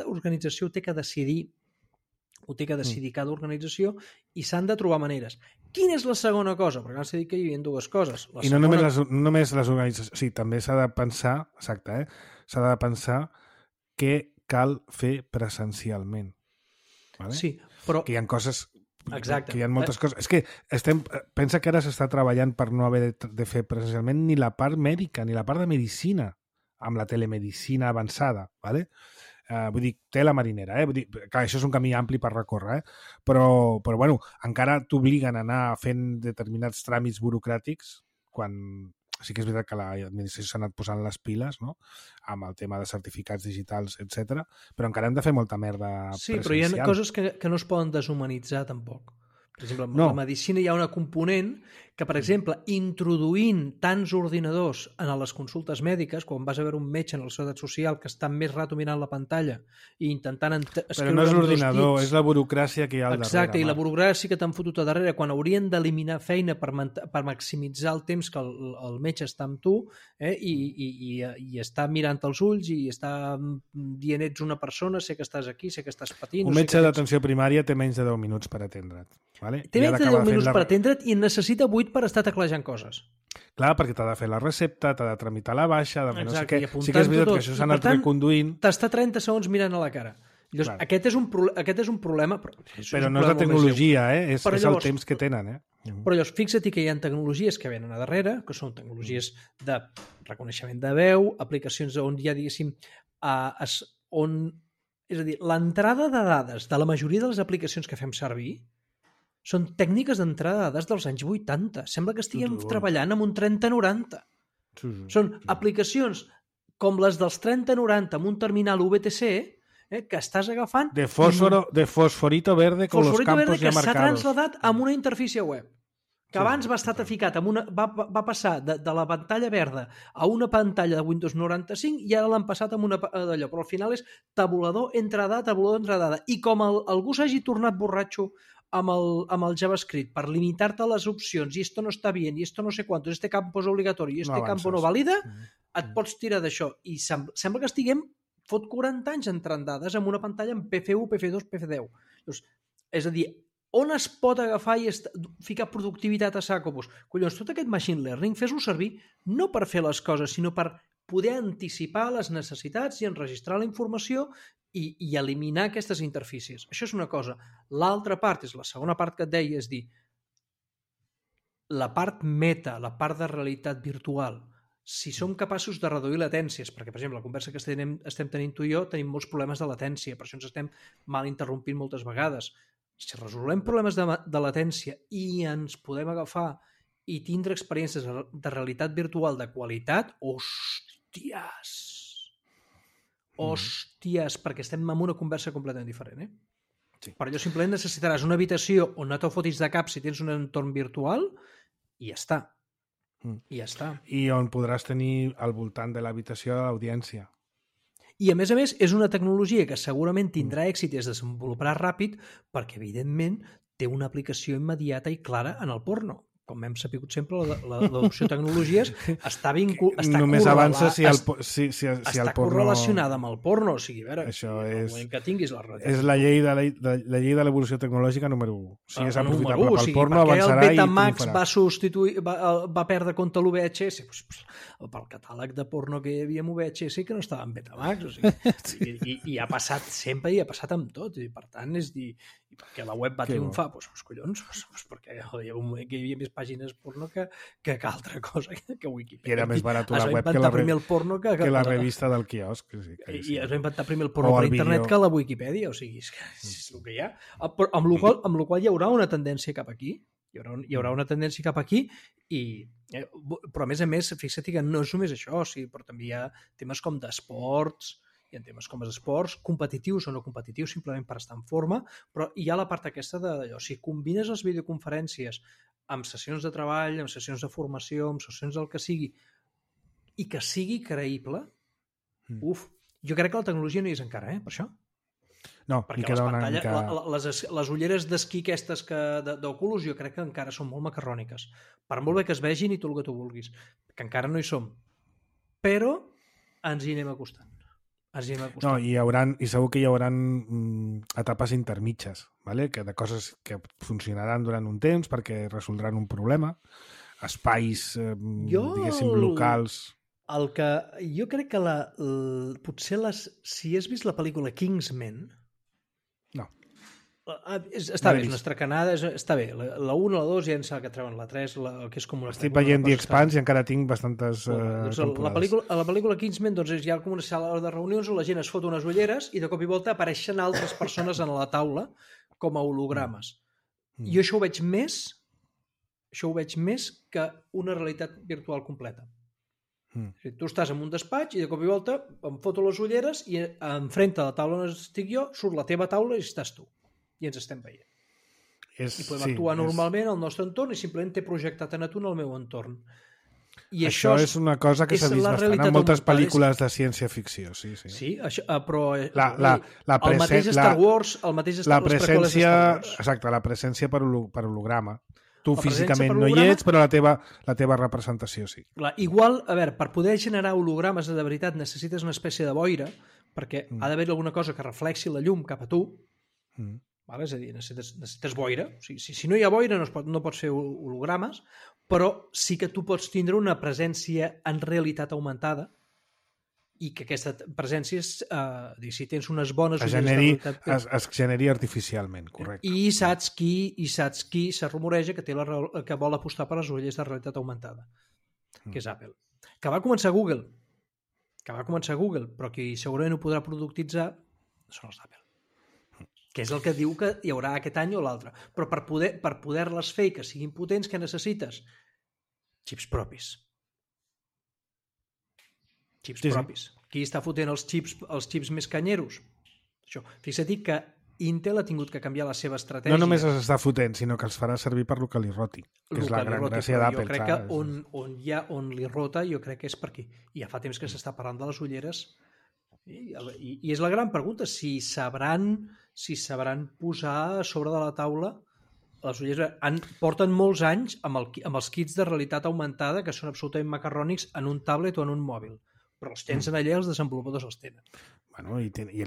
organització té que decidir cada organització i s'han de trobar maneres. Quina és la segona cosa? Perquè abans s'ha dit que hi havia dues coses. I no només les organitzacions, sí, també s'ha de pensar, exacte, s'ha de pensar què cal fer presencialment. Vale? Sí, però... Que hi ha coses... Exacte. Que hi ha moltes coses. És que pensa que ara s'està treballant per no haver de fer presencialment ni la part mèdica, ni la part de medicina, amb la telemedicina avançada, ¿vale? Vull dir, tela marinera, vull dir, clar, això és un camí ampli per recórrer, però bueno, encara t'obliguen a anar fent determinats tràmits burocràtics quan sí que és veritat que l'administració s'ha anat posant les piles, no?, amb el tema de certificats digitals, etc. Però encara hem de fer molta merda presencial. Sí, però hi ha coses que no es poden deshumanitzar tampoc. Per exemple, en la medicina hi ha una component que, per exemple, introduint tants ordinadors en les consultes mèdiques, quan vas a veure un metge en la Seguretat Social que està més rato mirant la pantalla i intentant escriure... Però no és l'ordinador, és la burocràcia que hi ha al darrere. Exacte, i la burocràcia que t'han fotut a darrere, quan haurien d'eliminar feina per maximitzar el temps que el metge està amb tu i està mirant els ulls i està dient ets una persona, sé que estàs aquí, sé que estàs patint... Un metge d'atenció primària té menys de 10 minuts per atendre't. Vale? Té menys de 10 minuts per atendre't i en necessita 8 per estar teclejant coses. Clar, perquè t'ha de fer la recepta, t'ha de tramitar la baixa, de fer no sé què. Sí que és veritat que això s'ha anat reconduint. T'està 30 segons mirant a la cara. Llavors, aquest és un problema... Però no és la tecnologia, és el temps que tenen. Però llavors, fixa't que hi ha tecnologies que venen a darrere, que són tecnologies de reconeixement de veu, aplicacions on hi ha, diguéssim, és a dir, l'entrada de dades de la majoria de les aplicacions que fem servir són tècniques d'entrada de dades dels anys 80. Sembla que estiguem treballant amb un 3090. Són aplicacions com les dels 3090 amb un terminal VTC que estàs agafant... De fosforito verde con los campos ya marcados. Que s'ha transladat amb una interfície web. Que abans va estar ficat va passar de la pantalla verda a una pantalla de Windows 95 i ara l'han passat amb una d'allò. Però al final és tabulador entre dada. I com algú s'hagi tornat borratxo amb el JavaScript per limitar-te les opcions i esto no està bien, i esto no sé quantos, este campo és obligatori i este campo no valida, et pots tirar d'això. I sembla que estiguem fot 40 anys entrant dades amb una pantalla en PF1, PF2, PF10. Llavors, és a dir, on es pot agafar i ficar productivitat a saco? Collons, tot aquest machine learning fes-ho servir no per fer les coses, sinó per poder anticipar les necessitats i enregistrar la informació i eliminar aquestes interfícies. Això és una cosa. L'altra part, és la segona part que et deia, és dir, la part meta, la part de realitat virtual, si som capaços de reduir latències, perquè, per exemple, la conversa que estem tenint tu i jo, tenim molts problemes de latència, per això ens estem mal interrompint moltes vegades. Si resolem problemes de latència i ens podem agafar i tindre experiències de realitat virtual de qualitat, hòsties, perquè estem en una conversa completament diferent, Per allò simplement necessitaràs una habitació on no te'l fotis de cap si tens un entorn virtual i ja està. I ja està. I on podràs tenir al voltant de l'habitació l'audiència. I, a més, és una tecnologia que segurament tindrà èxit i es desenvoluparà ràpid perquè, evidentment, té una aplicació immediata i clara en el porno. Com hem sapigut sempre, l'adopció de tecnologies està només avança si el porno... correlacionada amb el porno. O sigui, a veure, això és... que tinguis la realitat. És la llei de l'evolució tecnològica número 1. Si és aprofitable pel porno, avançarà i Betamax va perdre compte l'UVHS? Pel catàleg de porno que hi havia amb UVHS que no estava en Betamax. O sigui, i ha passat sempre i ha passat amb tot. I, per tant, és dir... I perquè la web va triomfar? Doncs collons, perquè hi havia un moment que hi havia més pàgines porno que altra cosa que Wikipedia. I era més barat la web que la revista del quiosc. I es va inventar primer el porno per internet que la Wikipedia. O sigui, és el que hi ha. Amb la qual hi haurà una tendència cap aquí. Hi haurà una tendència cap aquí però, a més, fixa't que no és només això, però també hi ha temes com d'esports, hi ha temes com els esports, competitius o no competitius, simplement per estar en forma, però hi ha la part aquesta d'allò. Si combines les videoconferències amb sessions de treball, amb sessions de formació, amb sessions del que sigui, i que sigui creïble, jo crec que la tecnologia no hi és encara, per això. No, perquè les ulleres d'esquí aquestes d'Oculus jo crec que encara són molt macarròniques. Per molt bé que es vegin i tot el que tu vulguis, que encara no hi som. Però ens hi anem acostant. No, i segur que hi haurà etapes intermitges, ¿vale? De coses que funcionaran durant un temps perquè resoldran un problema, espais, diguéssim, locals... Jo crec que potser si has vist la pel·lícula Kingsman... No. Està bé, és una estracanada, està bé. La 1, la 2 ja em sembla que treuen la 3, que és com una... Estic veient The Expanse i encara tinc bastantes temporades. A la pel·lícula Kingsman hi ha com una sala de reunions on la gent es fot unes ulleres i de cop i volta apareixen altres persones a la taula com a hologrames. Jo això ho veig més que una realitat virtual completa. Tu estàs en un despatx i de cop i volta em foto les ulleres i enfront de la taula on estic jo surt la teva taula i estàs tu. I ens estem veient. I podem actuar normalment al nostre entorn i simplement t'he projectat a tu en el meu entorn. I això és una cosa que s'ha vist bastant en moltes pel·lícules de ciència-ficció. Sí, però el mateix Star Wars, les preqüeles de Star Wars. Exacte, la presència per holograma. Tu físicament no hi ets, però la teva representació sí. Igual, a veure, per poder generar hologrames de veritat necessites una espècie de boira, perquè ha d'haver alguna cosa que reflexi la llum cap a tu. És a dir, necessites boira. Si no hi ha boira no pots fer hologrames, però sí que tu pots tindre una presència en realitat augmentada i que aquesta presència, si tens unes bones... Es generi artificialment, correcte. I saps qui se rumoreja que vol apostar per les ulleres de realitat augmentada, que és Apple. Que va començar Google, però qui segurament ho podrà productitzar són els d'Apple. Que és el que diu que hi haurà aquest any o l'altre. Però per poder-les fer i que siguin potents, què necessites? Xips propis. Qui està fotent els xips més canyeros? Això. Fixa't que Intel ha tingut que canviar la seva estratègia. No només els està fotent, sinó que els farà servir per lo que li roti, que és la gran gràcia d'Apple. Jo crec que on li rota, jo crec que és per aquí. I ja fa temps que s'està parlant de les ulleres. I és la gran pregunta, si sabran posar a sobre de la taula les ulleres. Porten molts anys amb els kits de realitat augmentada que són absolutament macarrònics en un tablet o en un mòbil, però els tens allà, els desenvolupadors els tenen. I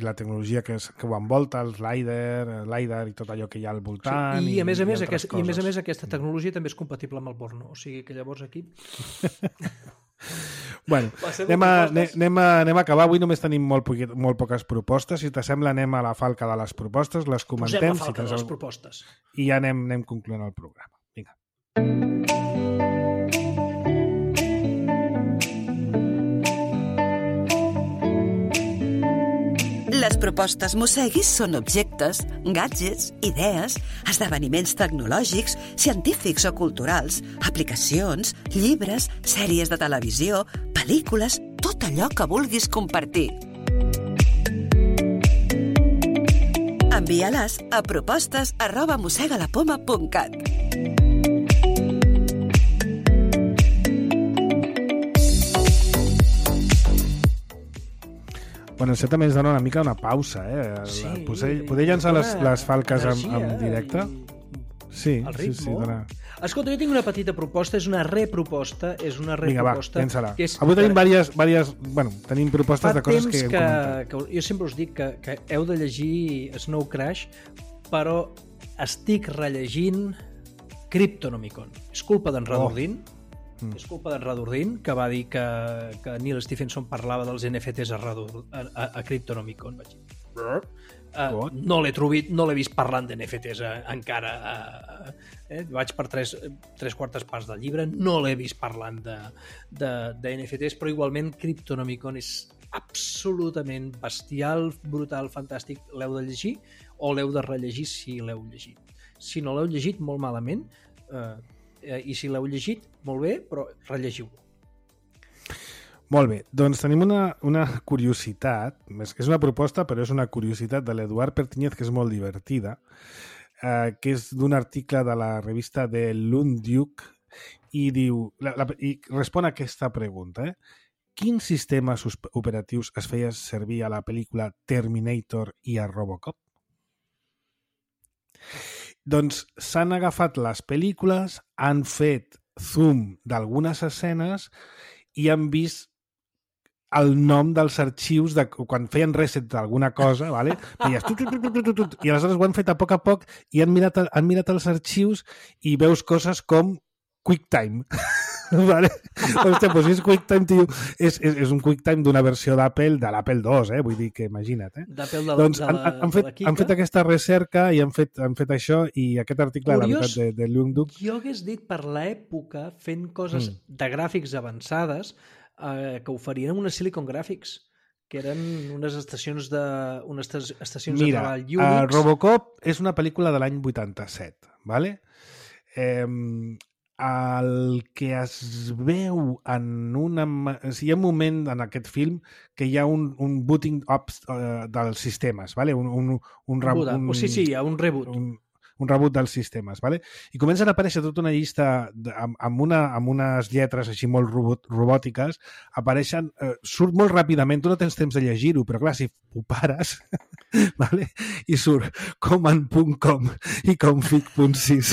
la tecnologia que ho envolta, el LiDAR i tot allò que hi ha al voltant. I a més a més aquesta tecnologia també és compatible amb el porno, o sigui que llavors aquí... Bueno, anem a acabar. Avui només tenim molt poques propostes. Si t'assembla, anem a la falca de les propostes, les comentem. Posem la falca de les propostes. I ja anem concloent el programa. Vinga. Les propostes Mosseguis són objectes, gadgets, idees, esdeveniments tecnològics, científics o culturals, aplicacions, llibres, sèries de televisió, pel·lícules, tot allò que vulguis compartir. Envia-les a propostes@mossegalapoma.cat. Bueno, això també ens dona una mica una pausa, Sí. Poder llançar les falques en directe? Sí, el ritme. Sí, dona... Escolta, jo tinc una petita proposta, és una reproposta. Vinga, va, llença-la. Avui tenim tenim propostes de coses que hem comentat. Jo sempre us dic que heu de llegir Snow Crash, però estic rellegint Cryptonomicon. És culpa d'en Radurdin. És culpa d'en Radurdin, que va dir que Neil Stephenson parlava dels NFTs a Cryptonomicon. Vaig dir, no l'he vist parlant d'NFTs encara. Vaig per tres quartes parts del llibre, no l'he vist parlant de NFTs, però igualment Cryptonomicon és absolutament bestial, brutal, fantàstic. L'heu de llegir o l'heu de rellegir si l'heu llegit. Si no l'heu llegit, molt malament, i si l'heu llegit, molt bé, però rellegiu-lo. Molt bé, doncs tenim una curiositat, és una proposta, però és una curiositat de l'Eduard Pertiñez, que és molt divertida, que és d'un article de la revista de Lundyuk, i diu, i respon a aquesta pregunta, Quins sistemes operatius es feia servir a la pel·lícula Terminator i a Robocop? Doncs s'han agafat les pel·lícules, han fet zoom d'algunes escenes i han vist el nom dels arxius de quan feien reset d'alguna cosa, vale? I aleshores ho han fet a poc i han mirat els arxius i veus coses com QuickTime. Vale? Hòstia, doncs és QuickTime, tio. És un QuickTime d'una versió d'Apple, de l'Apple II, vull dir que imagina't. Doncs han fet aquesta recerca i han fet això, i aquest article, la veritat, de Lundyuk... Jo hagués dit per l'època, fent coses de gràfics avançades, que oferien unes Silicon Graphics, que eren unes estacions de treball Unix. Mira, Robocop és una pel·lícula de l'any 87, vale? El que es veu en hi ha un moment en aquest film que hi ha un booting up dels sistemes, vale? Un hi ha un reboot. Un reboot dels sistemes, vale? I comencen a aparèixer tota una llista amb unes lletres així molt robòtiques, apareixen, surt molt ràpidament, tu no tens temps de llegir-ho, però clar, si ho pares, vale? I surt command.com i config.sys,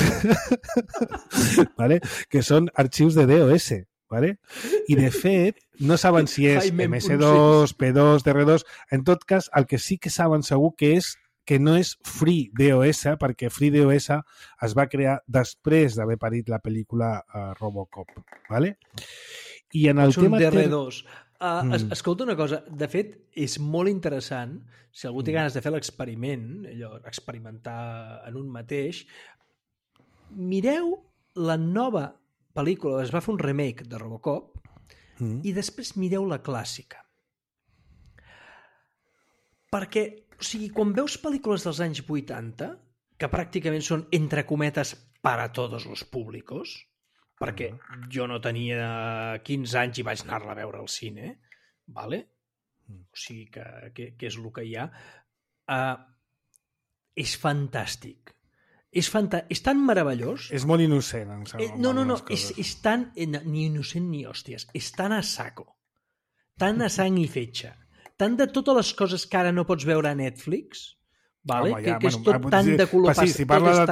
vale? Que són arxius de DOS, vale? I de fet, no saben si és MS2, P2, DR2, en tot cas, el que sí que saben segur que no és FreeDOS, perquè FreeDOS es va crear després d'haver parit la pel·lícula Robocop, vale? I en el tema... DR2. Escolta una cosa, de fet, és molt interessant, si algú té ganes de fer l'experiment, experimentar en un mateix, mireu la nova pel·lícula, es va fer un remake de Robocop, i després mireu la clàssica. Perquè, o sigui, quan veus pel·lícules dels anys 80, que pràcticament són, entre cometes, para todos los públicos, perquè jo no tenia 15 anys i vaig anar-la a veure al cine, vale? O sigui que és el que hi ha, és fantàstic. És tan meravellós. És molt innocent, em sembla. No, és tan... Ni innocent ni hòsties. És tan a saco. Tan a sang i fetge. Tant de totes les coses que ara no pots veure a Netflix, vale? Que és tot tan de color pastel. Si parla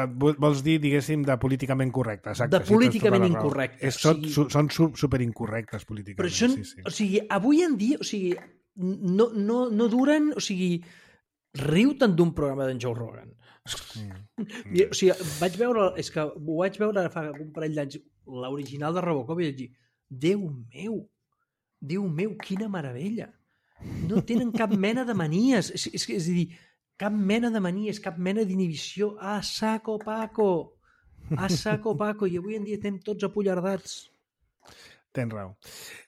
vols dir, diguéssim, de políticament correcte. Exacte, de políticament incorrecte. Són superincorrectes políticament. Però o sigui, avui en dia, o sigui, no duren, o sigui, riu tant d'un programa d'en Joe Rogan. O sigui, ho vaig veure fa un parell d'anys, l'original de Robocop, i vaig dir, Déu meu, quina meravella. No tenen cap mena de manies. És a dir, cap mena de manies, cap mena d'inhibició. A saco paco. I avui en dia estem tots apollardats. Tens raó.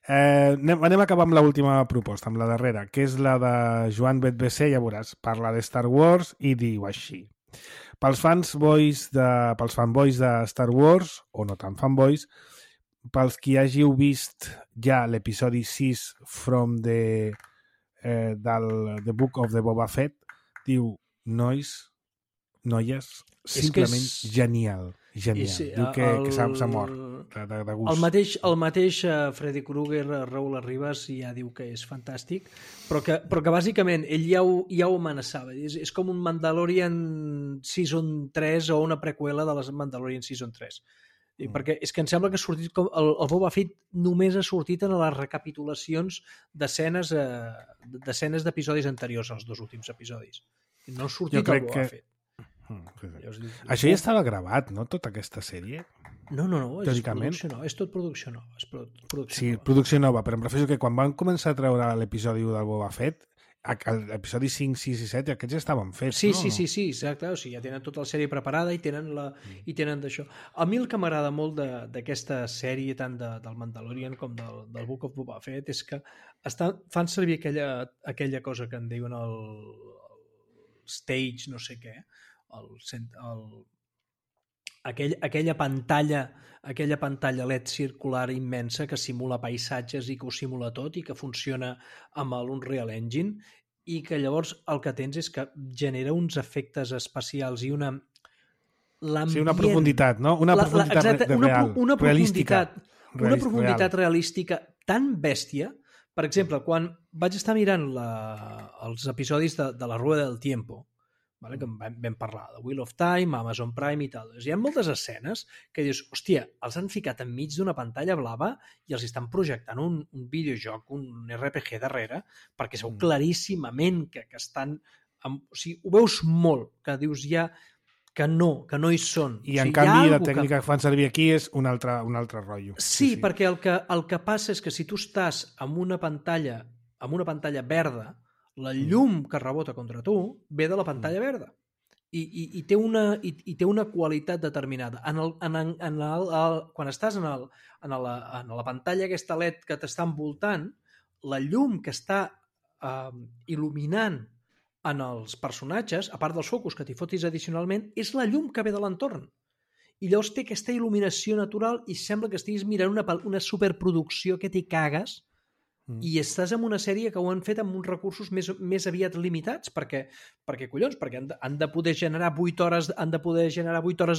Anem a acabar amb l'última proposta, amb la darrera, que és la de Joan Betbesser, ja veuràs, parla de Star Wars i diu així. Pels fanboys de Star Wars, o no tan fanboys, pels qui hàgiu vist ja l'episodi 6 del The Book of the Boba Fett, diu, noies, simplement genial. Diu que s'ha mort de gust. El mateix Freddy Krueger, Raúl Arribas, ja diu que és fantàstic, però que bàsicament ell ja ho amenaçava. És com un Mandalorian Season 3 o una preqüela de les Mandalorian Season 3. Perquè és que em sembla que ha sortit el Boba Fett només ha sortit en les recapitulacions d'escenes d'episodis anteriors als 2 últims episodis. No ha sortit el Boba Fett. Això ja estava gravat, no? Tota aquesta sèrie? No, és producció nova. És tot producció nova. Sí, producció nova, però em refereixo que quan van començar a treure l'episodi 1 del Boba Fett, l'episodi 5, 6 i 7, aquests ja estaven fets, sí, no? Sí, exacte. O sigui, ja tenen tota la sèrie preparada i tenen d'això. A mi el que m'agrada molt d'aquesta sèrie, tant del Mandalorian com del Book of Boba Fett, és que fan servir aquella cosa que en diuen el stage, no sé què, aquella pantalla LED circular immensa que simula paisatges i que ho simula tot i que funciona amb l'Unreal Engine i que llavors el que tens és que genera uns efectes especials i una profunditat, no? Una profunditat real, realística. Una profunditat realística tan bèstia. Per exemple, quan vaig estar mirant els episodis de la Rueda del Tiempo, vale, que vam parlar de Wheel of Time, Amazon Prime i tal. Hi ha moltes escenes que dius, hòstia, els han ficat enmig d'una pantalla blava i els estan projectant un videojoc, un RPG darrere, perquè es veu claríssimament que estan... O sigui, ho veus molt, que dius ja que no hi són. I en canvi la tècnica que fan servir aquí és un altre rotllo. Sí, perquè el que passa és que si tu estàs amb una pantalla verda, la llum que rebota contra tu ve de la pantalla verda i té una qualitat determinada. Quan estàs en la pantalla aquesta LED que t'està envoltant, la llum que està il·luminant en els personatges, a part dels focus que t'hi fotis addicionalment, és la llum que ve de l'entorn. I llavors té aquesta il·luminació natural i sembla que estiguis mirant una superproducció que t'hi cagues i estàs en una sèrie que ho han fet amb uns recursos més aviat limitats perquè han de poder generar 8 hores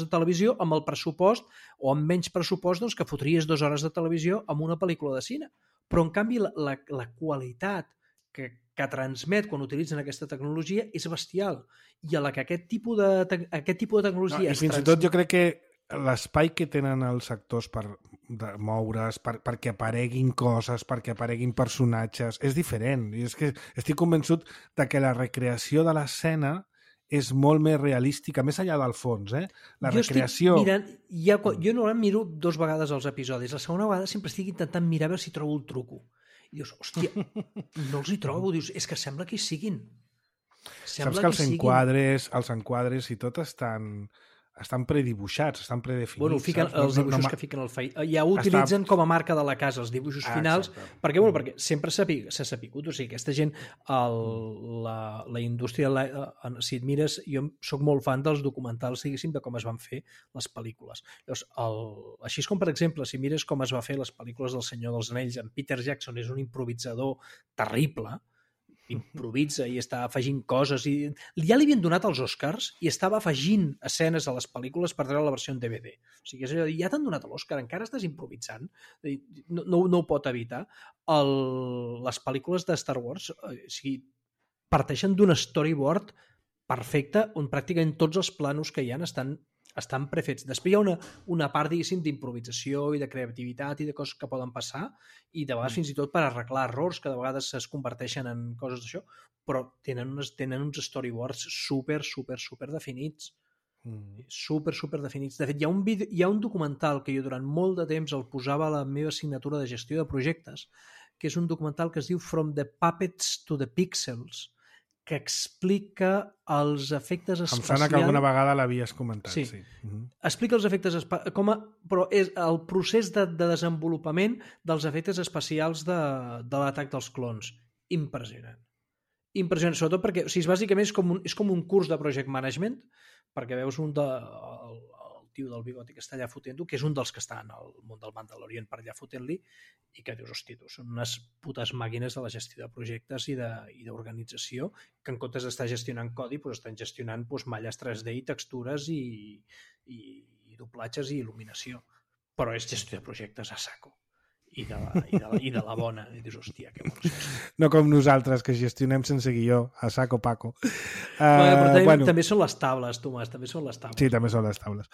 de televisió amb el pressupost o amb menys pressupost doncs, que fotries 2 hores de televisió amb una pel·lícula de cine. Però en canvi la qualitat que transmet quan utilitzen aquesta tecnologia és bestial i a la que aquest tipus de tecnologia i fins i tot jo crec que l'espai que tenen els actors per moure's, perquè apareguin coses, perquè apareguin personatges, és diferent. I és que estic convençut de que la recreació de l'escena és molt més realística, més enllà del fons, La recreació... Jo normalment miro 2 vegades els episodis. La segona vegada sempre estic intentant mirar a veure si trobo el truco. I dius, hòstia, no els hi trobo. Dius, és que sembla que hi siguin. Saps que els enquadres i tot estan predibuixats, estan predefinits. Bueno, els dibuixos que fiquen al Facebook. Ja ho utilitzen com a marca de la casa, els dibuixos finals, perquè sempre s'ha sapigut. O sigui, aquesta gent, la indústria, si et mires, jo sóc molt fan dels documentals, diguéssim, de com es van fer les pel·lícules. Llavors, així com, per exemple, si mires com es va fer les pel·lícules del Senyor dels Anells, en Peter Jackson és un improvisador terrible, improvisa i està afegint coses i ja li havien donat els Oscars i estava afegint escenes a les pel·lícules per treure la versió en DVD. O sigui, és allò, ja t'han donat l'Oscar, encara estàs improvisant, no ho pot evitar. Les pel·lícules de Star Wars parteixen d'un storyboard perfecte on pràcticament tots els planos que hi ha estan prefets. Després hi ha una part, diguéssim, d'improvisació i de creativitat i de coses que poden passar i de vegades fins i tot per arreglar errors que de vegades es converteixen en coses d'això, però tenen uns storyboards super definits. Super definits. De fet, hi ha un documental que jo durant molt de temps el posava a la meva assignatura de gestió de projectes, que és un documental que es diu From the Puppets to the Pixels, que explica els efectes especials... Em sona que alguna vegada l'havies comentat. Sí. Explica els efectes especials, però és el procés de desenvolupament dels efectes especials de l'atac dels clons. Impressionant. Impressionant, sobretot perquè, bàsicament és com un curs de project management, perquè veus el tio del bigoti que està allà fotent-ho, que és un dels que està en el món del Mandalorian per allà fotent-li, i que dius, hosti, tu, són unes putes màquines de la gestió de projectes i d'organització, que en comptes d'estar gestionant codi, doncs estan gestionant malles 3D i textures i doblatges i il·luminació. Però és gestió de projectes a saco. I de la bona. I dius, hòstia, que bons. No com nosaltres, que gestionem sense guió, a saco paco. Però també són les taules, Tomàs, també són les taules. Sí, també són les taules.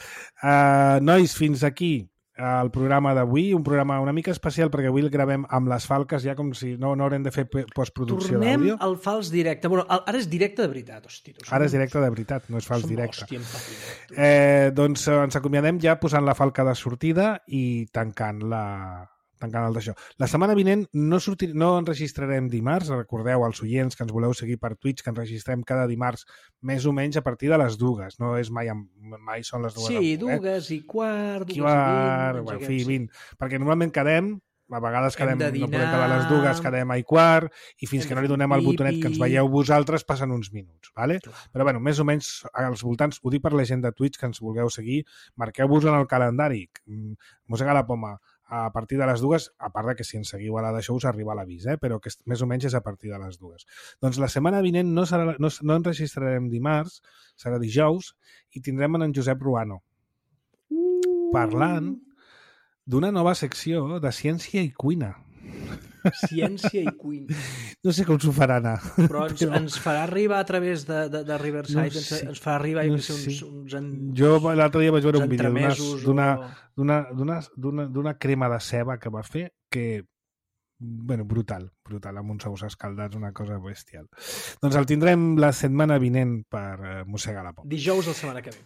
Nois, fins aquí el programa d'avui, un programa una mica especial perquè avui el gravem amb les falques, ja com si no haurem de fer postproducció d'àudio. Tornem al fals directe. Bueno, ara és directe de veritat, hosti. Ara és directe de veritat, no és fals directe. Doncs ens acomiadem ja posant la falca de sortida i tancant el d'això. La setmana vinent no enregistrarem dimarts, recordeu als oients que ens voleu seguir per Twitch, que enregistrem cada dimarts més o menys a partir de les 2, no és mai són les 2. Sí, 2 i quart, 2 i 20, perquè normalment quedem, a vegades no podem quedar a les 2, quedem a i quart, i fins que no li donem el botonet que ens veieu vosaltres passen uns minuts, vale? Però bueno, més o menys als voltants, ho dic per la gent de Twitch que ens vulgueu seguir, marqueu-vos en el calendari, mossega la poma, a partir de les 2, a part que si ens seguiu a la d'això us arriba l'avís, però que més o menys és a partir de les 2. Doncs la setmana vinent no enregistrarem dimarts, serà dijous, i tindrem en Josep Ruano parlant d'una nova secció de ciència i cuina. Ciència i cuina. No sé com s'ho farà anar. Però ens farà arribar a través de Riverside, no sé, ens farà arribar Jo l'altre dia vaig veure un vídeo d'una crema de ceba que va fer que, bueno, brutal, amb uns ous escaldats, una cosa bestial. Doncs el tindrem la setmana vinent per mossegar la por. Dijous la setmana que ve.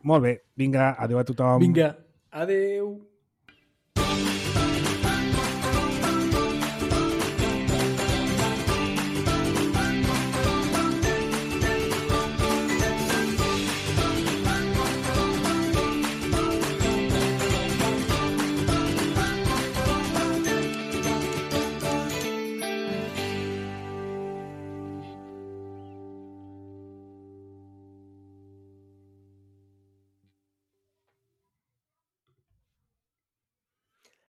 Molt bé, vinga, adeu a tothom. Vinga, adeu.